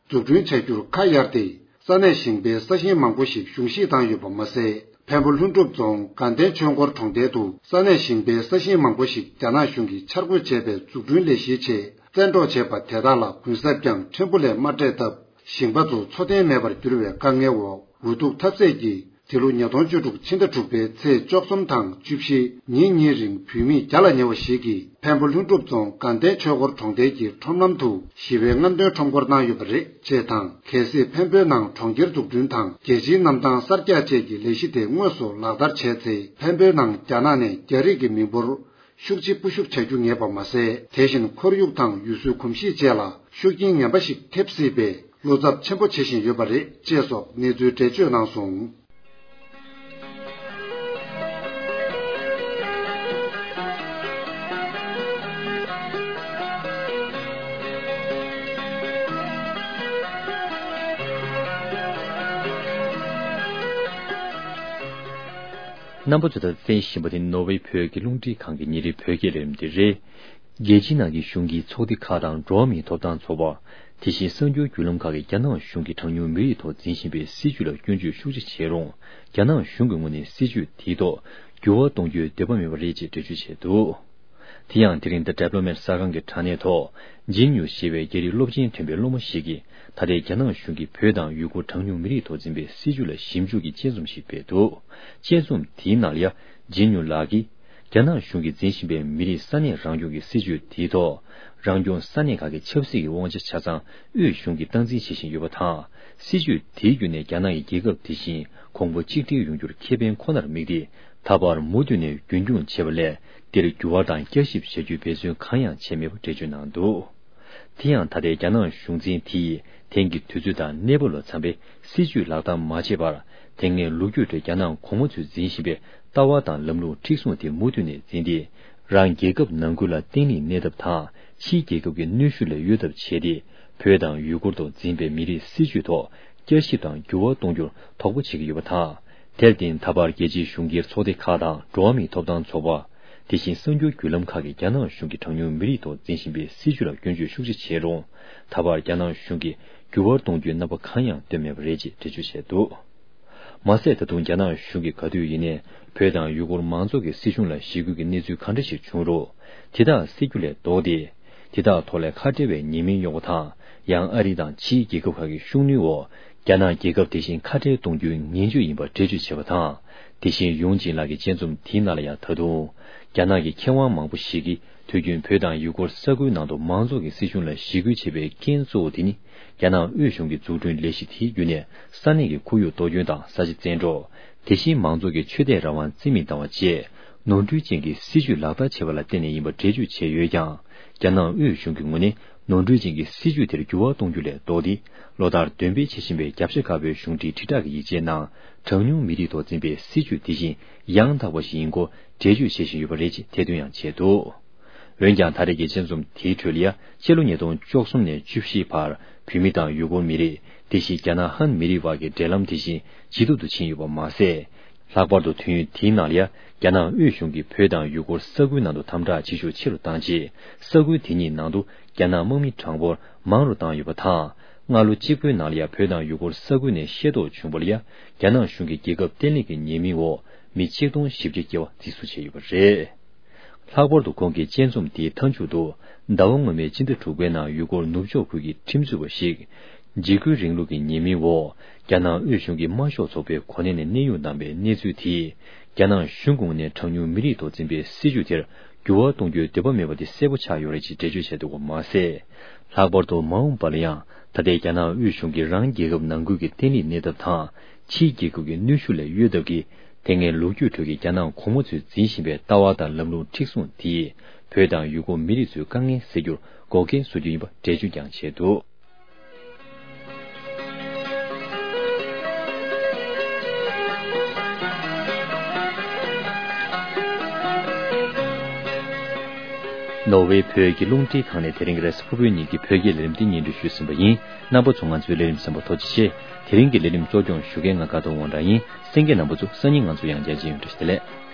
འཛུགས་སྐྲུན་བྱ་རྒྱུར་ཁ་གཡར་ཏེ། ས་གནས་ཞིང་པའི་ས་ཞིང་མང་པོ་ཞིག་གཞུང་བཞེས་བཏང་ཡོད་པ་མ་ཟད། འཕན་པོ་ལྷུན་གྲུབ་རྫོང་དགའ་ལྡན་ཆོས་འཁོར་གྲོང་རྡལ་དུ་ས་གནས་ཞིང་པའི་ས་ཞིང་མང་པོ་ཞིག་རྒྱ་ནག་གཞུང་གིས་འཆར་འགོད་བྱས་པའི་འཛུགས་སྐྲུན་ལས་གཞིའི་ཆེད་བཙན་འཕྲོག་བྱས་པ་དེ་དག་ལ་གུན་གསབ་ཀྱང་ཕྲན་བུ་ལས་མ་སྤྲད་སྟབས། ཞིང་པ་ཚོ་འཚོ་རྟེན་མེད་པར་གྱུར་བའི་དཀའ་ངལ་འོག་འུ་ཐུག་ཐབས་ཟད་ཀྱིས། འདི་ལོ་ཉིས་སྟོང་བཅུ་དྲུག་ཕྱི་ཟླ་དྲུག་པའི་ཚེས་བཅུ་གསུམ་དང་བཅུ་བཞི་ཉིན་གཉིས་རིང་བུད་མེད་བརྒྱ་ལ་ཉེ་བ་ཞིག་གིས་འཕན་པོ་ལྷུན་གྲུབ་རྫོང་དགའ་ལྡན་ཆོས་འཁོར་གྲོང་རྡལ་གྱི་ཁྲོམ་ལམ་དུ་ཞི་བའི་རྔམ་སྟོན་ཁྲོམ་སྐོར་གནང་ཡོད་པ་རེད་ཅེས་དང་། གལ་སྲིད་འཕན་པོའི་ནང་གྲོང་ཁྱེར་འཛུགས་སྐྲུན་དང་རྒྱལ་སྤྱིའི་གནམ་ཐང་གསར་རྒྱག་བཅས་ཀྱི་ལས་གཞི་དེ་དངོས་སུ་ལག་བསྟར་བྱས་ཚེ། འཕན་པོའི་ནང་རྒྱ་ནག་ནས་རྒྱ་རིགས་ཀྱི་མི་འབོར་ཤུགས་ཆེ་སྤོ་བཤུག་བྱ་རྒྱུ་ངེས་པ་མ་ཟད། དེ་བཞིན་ཁོར་ཡུག་དང་ཡུལ་སྲོལ་གོམས་གཤིས་བཅས་ལ་ཤུགས་རྐྱེན་ངན་པ་ཞིག་ཐེབས་སྲིད་པའི་བློ་འཚབ་ཆེན་པོ་བྱེད་བཞིན་ཡོད་པ་རེད་ཅེས་སོགས་གནས་ཚུལ་འགྲེལ་བརྗོད་གནང་སོང་། རྣམ་པ་ཚོས་ད་གསན་བཞིན་པ་དེ་ནོར་ཝེ་བོད་ཀྱི་རླུང་འཕྲིན་ཁང་གི་ཉིན་རེའི་བོད་སྐད་ལས་རིམ་དེ་རེད། རྒྱལ་སྤྱིའི་ནང་གི་གཞུང་གི་ཚོགས་སྡེ་ཁག་དང་འགྲོ་བ་མིའི་ཐོབ་ཐང་ཚོགས་པ། དེ་བཞིན་གསར་འགྱུར་བརྒྱུད་ལམ་ཁག་གིས་རྒྱ་ནག་གཞུང་གིས་གྲངས་ཉུང་མི་རིགས་ཐོག་འཛིན་བཞིན་པའི་སྲིད་བྱུས་ལ་སྐྱོན་བརྗོད་ཤུགས་ཆེ་བྱས་རུང་། རྒྱ་ནག་གཞུང་གི་ངོས་ནས་སྲིད་བྱུས་དེའི་ཐོག་འགྱུར་བ་གཏོང་རྒྱུའི་འདོད་པ་མེད་པ་རེད་ཅེས་འགྲེལ་བརྗོད་བྱས་འདུག། དེ་ཡང་དེ་རིང་The Diplomat གསར་ཁང་གི་དྲ་གནས་ཐོག་ཇིན་ཡུ་ཞེས་པའི་རྒྱ་རིགས་སློབ་ཆེན་ཐོན་པའི་སློབ་མ་ཞིག་གིས། ད་ལྟའི་རྒྱ་ནག་གཞུང་གིས་བོད་དང་ཡུ་གུར་གྲངས་ཉུང་མི་རིགས་ཐོག་འཛིན་པའི་སྲིད་བྱུས་ལ་ཞིབ་འཇུག་གི་དཔྱད་རྩོམ་ཞིག་སྤེལ་འདུག། དཔྱད་རྩོམ་དེའི་ནང་ལ་ཡ། ཇིན་ཡུ་ལགས་ཀྱིས། རྒྱ་ནག་གཞུང་གིས་འཛིན་བཞིན་པའི་མི་རིགས་ས་གནས་རང་སྐྱོང་གི་སྲིད་བྱུས་དེའི་ཐོག། རང་སྐྱོང་ས་གནས་ཁག་གི་ཆབ་སྲིད་ཀྱི་དབང་ཆ་ཆ་ཚང་དབུས་གཞུང་གིས་སྟངས་འཛིན་བྱེད་བཞིན་ཡོད་པ་དང་། སྲིད་བྱུས་དེའི་བརྒྱུད་ནས་རྒྱ་ནག་གི་རྒྱལ་ཁབ་དེ་བཞིན་གོང་བུ་གཅིག་སྒྲིལ་ཡོང་རྒྱུར་ཁེ་ཕན་ཁོ་ནར་དམིགས་ཏེ། ད་བར་མུ་མཐུད་ནས་རྒྱུན་འཁྱོངས་བྱས་པ་ལས། འདིར་འགྱུར་བ་དང་བསྐྱར་ཞིབ་བྱ་རྒྱུའི་འབད་བརྩོན་གང་ཡང་བྱས་མེད་པ་འགྲེལ་བརྗོད་གནང་འདུག། དེ་ཡང་ད་ལྟའི་རྒྱ་ནག་གཞུང་འཛིན་དེས་དེང་གི་དུས་ཚོད་དང་གནས་བབ་ལ་འཚམ་པའི་སྲིད་བྱུས་ལག་བསྟར་མ་བྱས་པར། དེ་སྔའི་ལོ་རྒྱུས་ཁྲོད་རྒྱ་ནག་གོང་མ་ཚོས་འཛིན་བཞིན་པའི་ལྟ་བ་དང་ལམ་ལུགས་མཁྲེགས་བཟུང་དེ་མུ་མཐུད་ནས་འཛིན་ཏེ། རང་རྒྱལ་ཁབ་ནང་ཁུལ་ལ་བརྟན་ལྷིང་གནས་ཐབས་དང་ཕྱིའི་རྒྱལ་ཁབ་ཀྱི་གནོན་ཤུགས་ལས་གཡོལ་ཐབས་བྱས་ཏེ། བོད་དང་ཡུ་གུར་ཐོག་འཛིན་པའི་མི་རིགས་སྲིད་བྱུས་ཐོག་བསྐྱར་ཞིབ་དང་འགྱུར་བ་གཏོང་རྒྱུར་དོགས་པ་བྱེད་ཀྱི་ཡོད་པ་དང་། དེར་བརྟེན་ད་བར་རྒྱལ་སྤྱིའི་གཞུང་སྒེར་ཚོགས་སྡེ་ཁག་དང་འགྲོ་བ་མིའི་ཐོབ་ཐང་ཚོགས་པ། དེ་བཞིན་གསར་འགྱུར་བརྒྱུད་ལམ་ཁག་གིས་རྒྱ་ནག་གཞུང་གིས་གྲངས་ཉུང་མི་རིགས་ཐོག་འཛིན་བཞིན་པའི་སྲིད་བྱུས་ལ་སྐྱོན་བརྗོད་ཤུགས་ཆེ་བྱས་རུང་། ད་བར་རྒྱ་ནག་གཞུང་གིས་འགྱུར་བ་གཏོང་རྒྱུའི་རྣམ་པ་གང་ཡང་བཏོན་མེད་པ་རེད་ཅེས་འགྲེལ་བརྗོད་བྱས་འདུག། མ་ཟད་ད་དུང་རྒྱ་ནག་གཞུང་གིས་ག་དུས་ཡིན་ནའི་བོད་དང་ཡུ་གུར་མང་ཚོགས་ཀྱི་སྲིད་གཞུང་ལ་ཞི་རྒོལ་གྱི་གནས་ཚུལ་གང་འདྲ་ཞིག་བྱུང་རུང་། དེ་དག་སེལ་རྒྱུ་ལས་ལྡོག་སྟེ། དེ་དག་ཐོག་ལས་ཁ་བྲལ་བའི་ཉེས་མིང་གཡོག་པ་དང་། ཡང་ཨ་རི་དང་ཕྱིའི་རྒྱལ་ཁབ་ཁག་གི་ཤུགས་སྣོན་འོག་རྒྱ་ནག་རྒྱལ་ཁབ་དེ་བཞིན་ཁ་བྲལ་གཏོང་རྒྱུའི་ངན་ཇུས་ཡིན་པ་འགྲེལ་བརྗོད་བྱས་པ་དང་། དེ་བཞིན་ཡུང་ཅིན་ལགས་ཀྱི་དཔྱད་རྩོམ་དེའི་ནང་ལ་ཡང་ད་དུང་། རྒྱ་ནག་གི་མཁས་དབང་མང་པོ་ཞིག་གིས་དུས་རྒྱུན་བོད་དང་ཡུ་གུར་ས་ཁུལ་ནང་དུ་མང་ཚོགས་ཀྱི་སྲིད་གཞུང་ལ་ཞི་རྒོལ་བྱེད་པའི་རྐྱེན་གཙོ་བོ་དེ་ནི། རྒྱ་ནག་དབུས་གཞུང་གི་འཛུགས་སྐྲུན་ལས་གཞི་དེའི་བརྒྱུད་ནས་ས་གནས་ཀྱི་ཁོར་ཡུག་གཏོར་སྐྱོན་དང་ས་ཆ་བཙན་འཕྲོག། དེ་བཞིན་མང་ཚོགས་ཀྱི་ཆོས་དད་རང་དབང་རྩིས་མེད་བཏང་བ་བཅས་ནོར་འཁྲུལ་ཅན་གྱི་སྲིད་བྱུས་ལག་བསྟར་བྱས་པ་ལ་བརྟེན་ནས་ཡིན་པ་འགྲེལ་བརྗོད་བྱས་ཡོད་ཀྱང་། རྒྱ་ནག་དབུས་གཞུང་གི་ངོས་ནས་ནོར་འཁྲུལ་ཅན་གྱི་སྲིད་བྱུས་དེར་འགྱུར་བ་གཏོང་རྒྱུ་ལས་ལྡོག་སྟེ། ལོ་ལྟར་འདོན་སྤེལ་བྱེད་བཞིན་པའི་རྒྱབ་ཤ་དཀར་པོའི་གཞུང་འབྲེལ་དྲིལ་བསྒྲགས་ཀྱི་ཡིག་ཆའི་ནང་། གྲངས་ཉུང་མི་རིགས་ཐོག་འཛིན་པའི་སྲིད་བྱུས་དེ་བཞིན་ཡང་དག་པ་ཞིག་ཡིན་སྐོར་འགྲེལ་བརྗོད་བྱེད་བཞིན་ཡོད་པ་རེད་ཅེས་ཐེར་འདོན་ཡང་བྱས་འདུག། འོན་ཀྱང་ད་རེས་ཀྱི་དཔྱད་རྩོམ་དེའི་ཁྲོད་ལ་ཡ། ཕྱི་ལོ་ཉིས་སྟོང་བཅུ་གསུམ་ནས་བཅུ་བཞིའི་བར་བོད་མི་དང་ཡུ་གུར་མི་རིགས། དེ་བཞིན་རྒྱ་ནག་ཧན་མི་རིགས་བར་གྱི་འབྲེལ་ལམ་དེ་བཞིན་ཇེ་སྡུག་ཏུ་ཕྱིན་ཡོད་པ་མ་ཟད། ལྷག་པར་དུ་དུས་ཡུན་དེའི་ནང་ལ་ཡ། རྒྱ་ནག་དབུས་གཞུང་གིས་བོད་དང་ཡུ་གུར་ས་ཁུལ་ནང་དུ་དམ་དྲག་བྱེད་ཤུགས་ཆེ་རུ་བཏང་རྗེས། ས་ཁུལ་དེ་གཉིས་ནང་དུ་རྒྱ་ནག་དམག་མི་གྲངས་འབོར་མང་རུ་བཏང་ཡོད་པ་དང་། སྔ་ལོ་གཅིག་པུའི་ནང་ལ་ཡ། བོད་དང་ཡུ་གུར་ས་ཁུལ་ནས་ཤེས་རྟོགས་བྱུང་བ་ལ་ཡ། རྒྱ་ནག་གཞུང་གིས་རྒྱལ་ཁབ་བརྟན་ལྷིང་གི་ཉེས་མིང་འོག་མི་ཆིག་སྟོང་བཞི་བརྒྱ་བརྒལ་བ་འཛིན་བཟུང་བྱས་ཡོད་པ་རེད། ལྷག་པར་དུ་ཁོང་གི་དཔྱད་རྩོམ་དེའི་མཐའ་མཇུག་ཏུ། ཟླ་བ་སྔོན་མའི་སྤྱི་ཟླ་དྲུག་པའི་ནང་ཡུ་གུར་ནུབ་ཕྱོགས་ཁུལ་གྱི་ཁྲིམས་རྩོད་པ་ཞིག་འཇིགས་སྐུལ་རིང་ལུགས་ཀྱི་ཉེས་མིང་འོག་རྒྱ་ནག་དབུས་གཞུང་གི་དམར་ཤོག་ཚོགས་པའི་གོ་གནས་ནས་གནས་དབྱུང་གནང་པའི་གནས་ཚུལ་དེས། རྒྱ་ནག་གཞུང་གི་ངོས་ནས་གྲངས་ཉུང་མི་རིགས་ཐོག་འཛིན་པའི་སྲིད་བྱུས་དེར་འགྱུར་བ་གཏོང་རྒྱུའི་འདོད་པ་མེད་པ་དེ་གསལ་པོ་ཆགས་ཡོད་རེད་ཅེས་འགྲེལ་བརྗོད་བྱས་འདུག་པ་མ་ཟད། ལྷག་པར་དུ་མ་འོངས་པ་ལ་ཡང་། ད་ལྟའི་རྒྱ་ནག་དབུས་གཞུང་གིས་རང་རྒྱལ་ཁབ་ནང་ཁུལ་གྱི་བརྟན་ལྷིང་གནས་ཐབས་དང་། ཕྱིའི་རྒྱལ་ཁབ་ཀྱི་གནོན་ཤུགས་ལས་གཡོལ་ཐབས་ཀྱིས། དེ་སྔའི་ལོ་རྒྱུས་ཁྲོད་ཀྱི་རྒྱ་ནག་གོང་མ་ཚོས་འཛིན་བཞིན་པའི་ལྟ་བ་དང་ལམ་ལུགས་མཁྲེགས་བཟུང་དེས། བོད་དང་ཡུལ་སྐོར་མི་རིགས་ཚོའི་དཀའ་ངལ་སེལ་རྒྱུར་འགོག་རྐྱེན་བཟོ་རྒྱུ་ཡིན་པ་འགྲེལ་བརྗོད་ཀྱང་བྱས་འདུག། ནོར་ཝེ་བོད་ཀྱི་རླུང་འཕྲིན་ཁང་ནས་དེ་རིང་གི་རེས་གཟའ་ཕུར་བུའི་ཉིན་གྱི་བོད་སྐད་ལས་རིམ་འདི་སྙན་སྒྲོན་ཞུས་ཟིན་པ་ཡིན། རྣམ་པ་ཚོ་ང་ཚོའི་ལས་རིམ་གསན་པར་ཐུགས་རྗེ་ཆེ། དེ་རིང་གི་ལས་རིམ་གཙོ་སྐྱོང་ཞུ་མཁན་ང་དགའ་ཐོབ་དབང་གྲགས་ཡིན། གསན་མཁན་རྣམ་པ་ཚོ་སང་ཉིན་ང་ཚོ་ཡང་བསྐྱར་མཇལ་ཡོང་། བཀྲ་ཤིས་བདེ་ལེགས།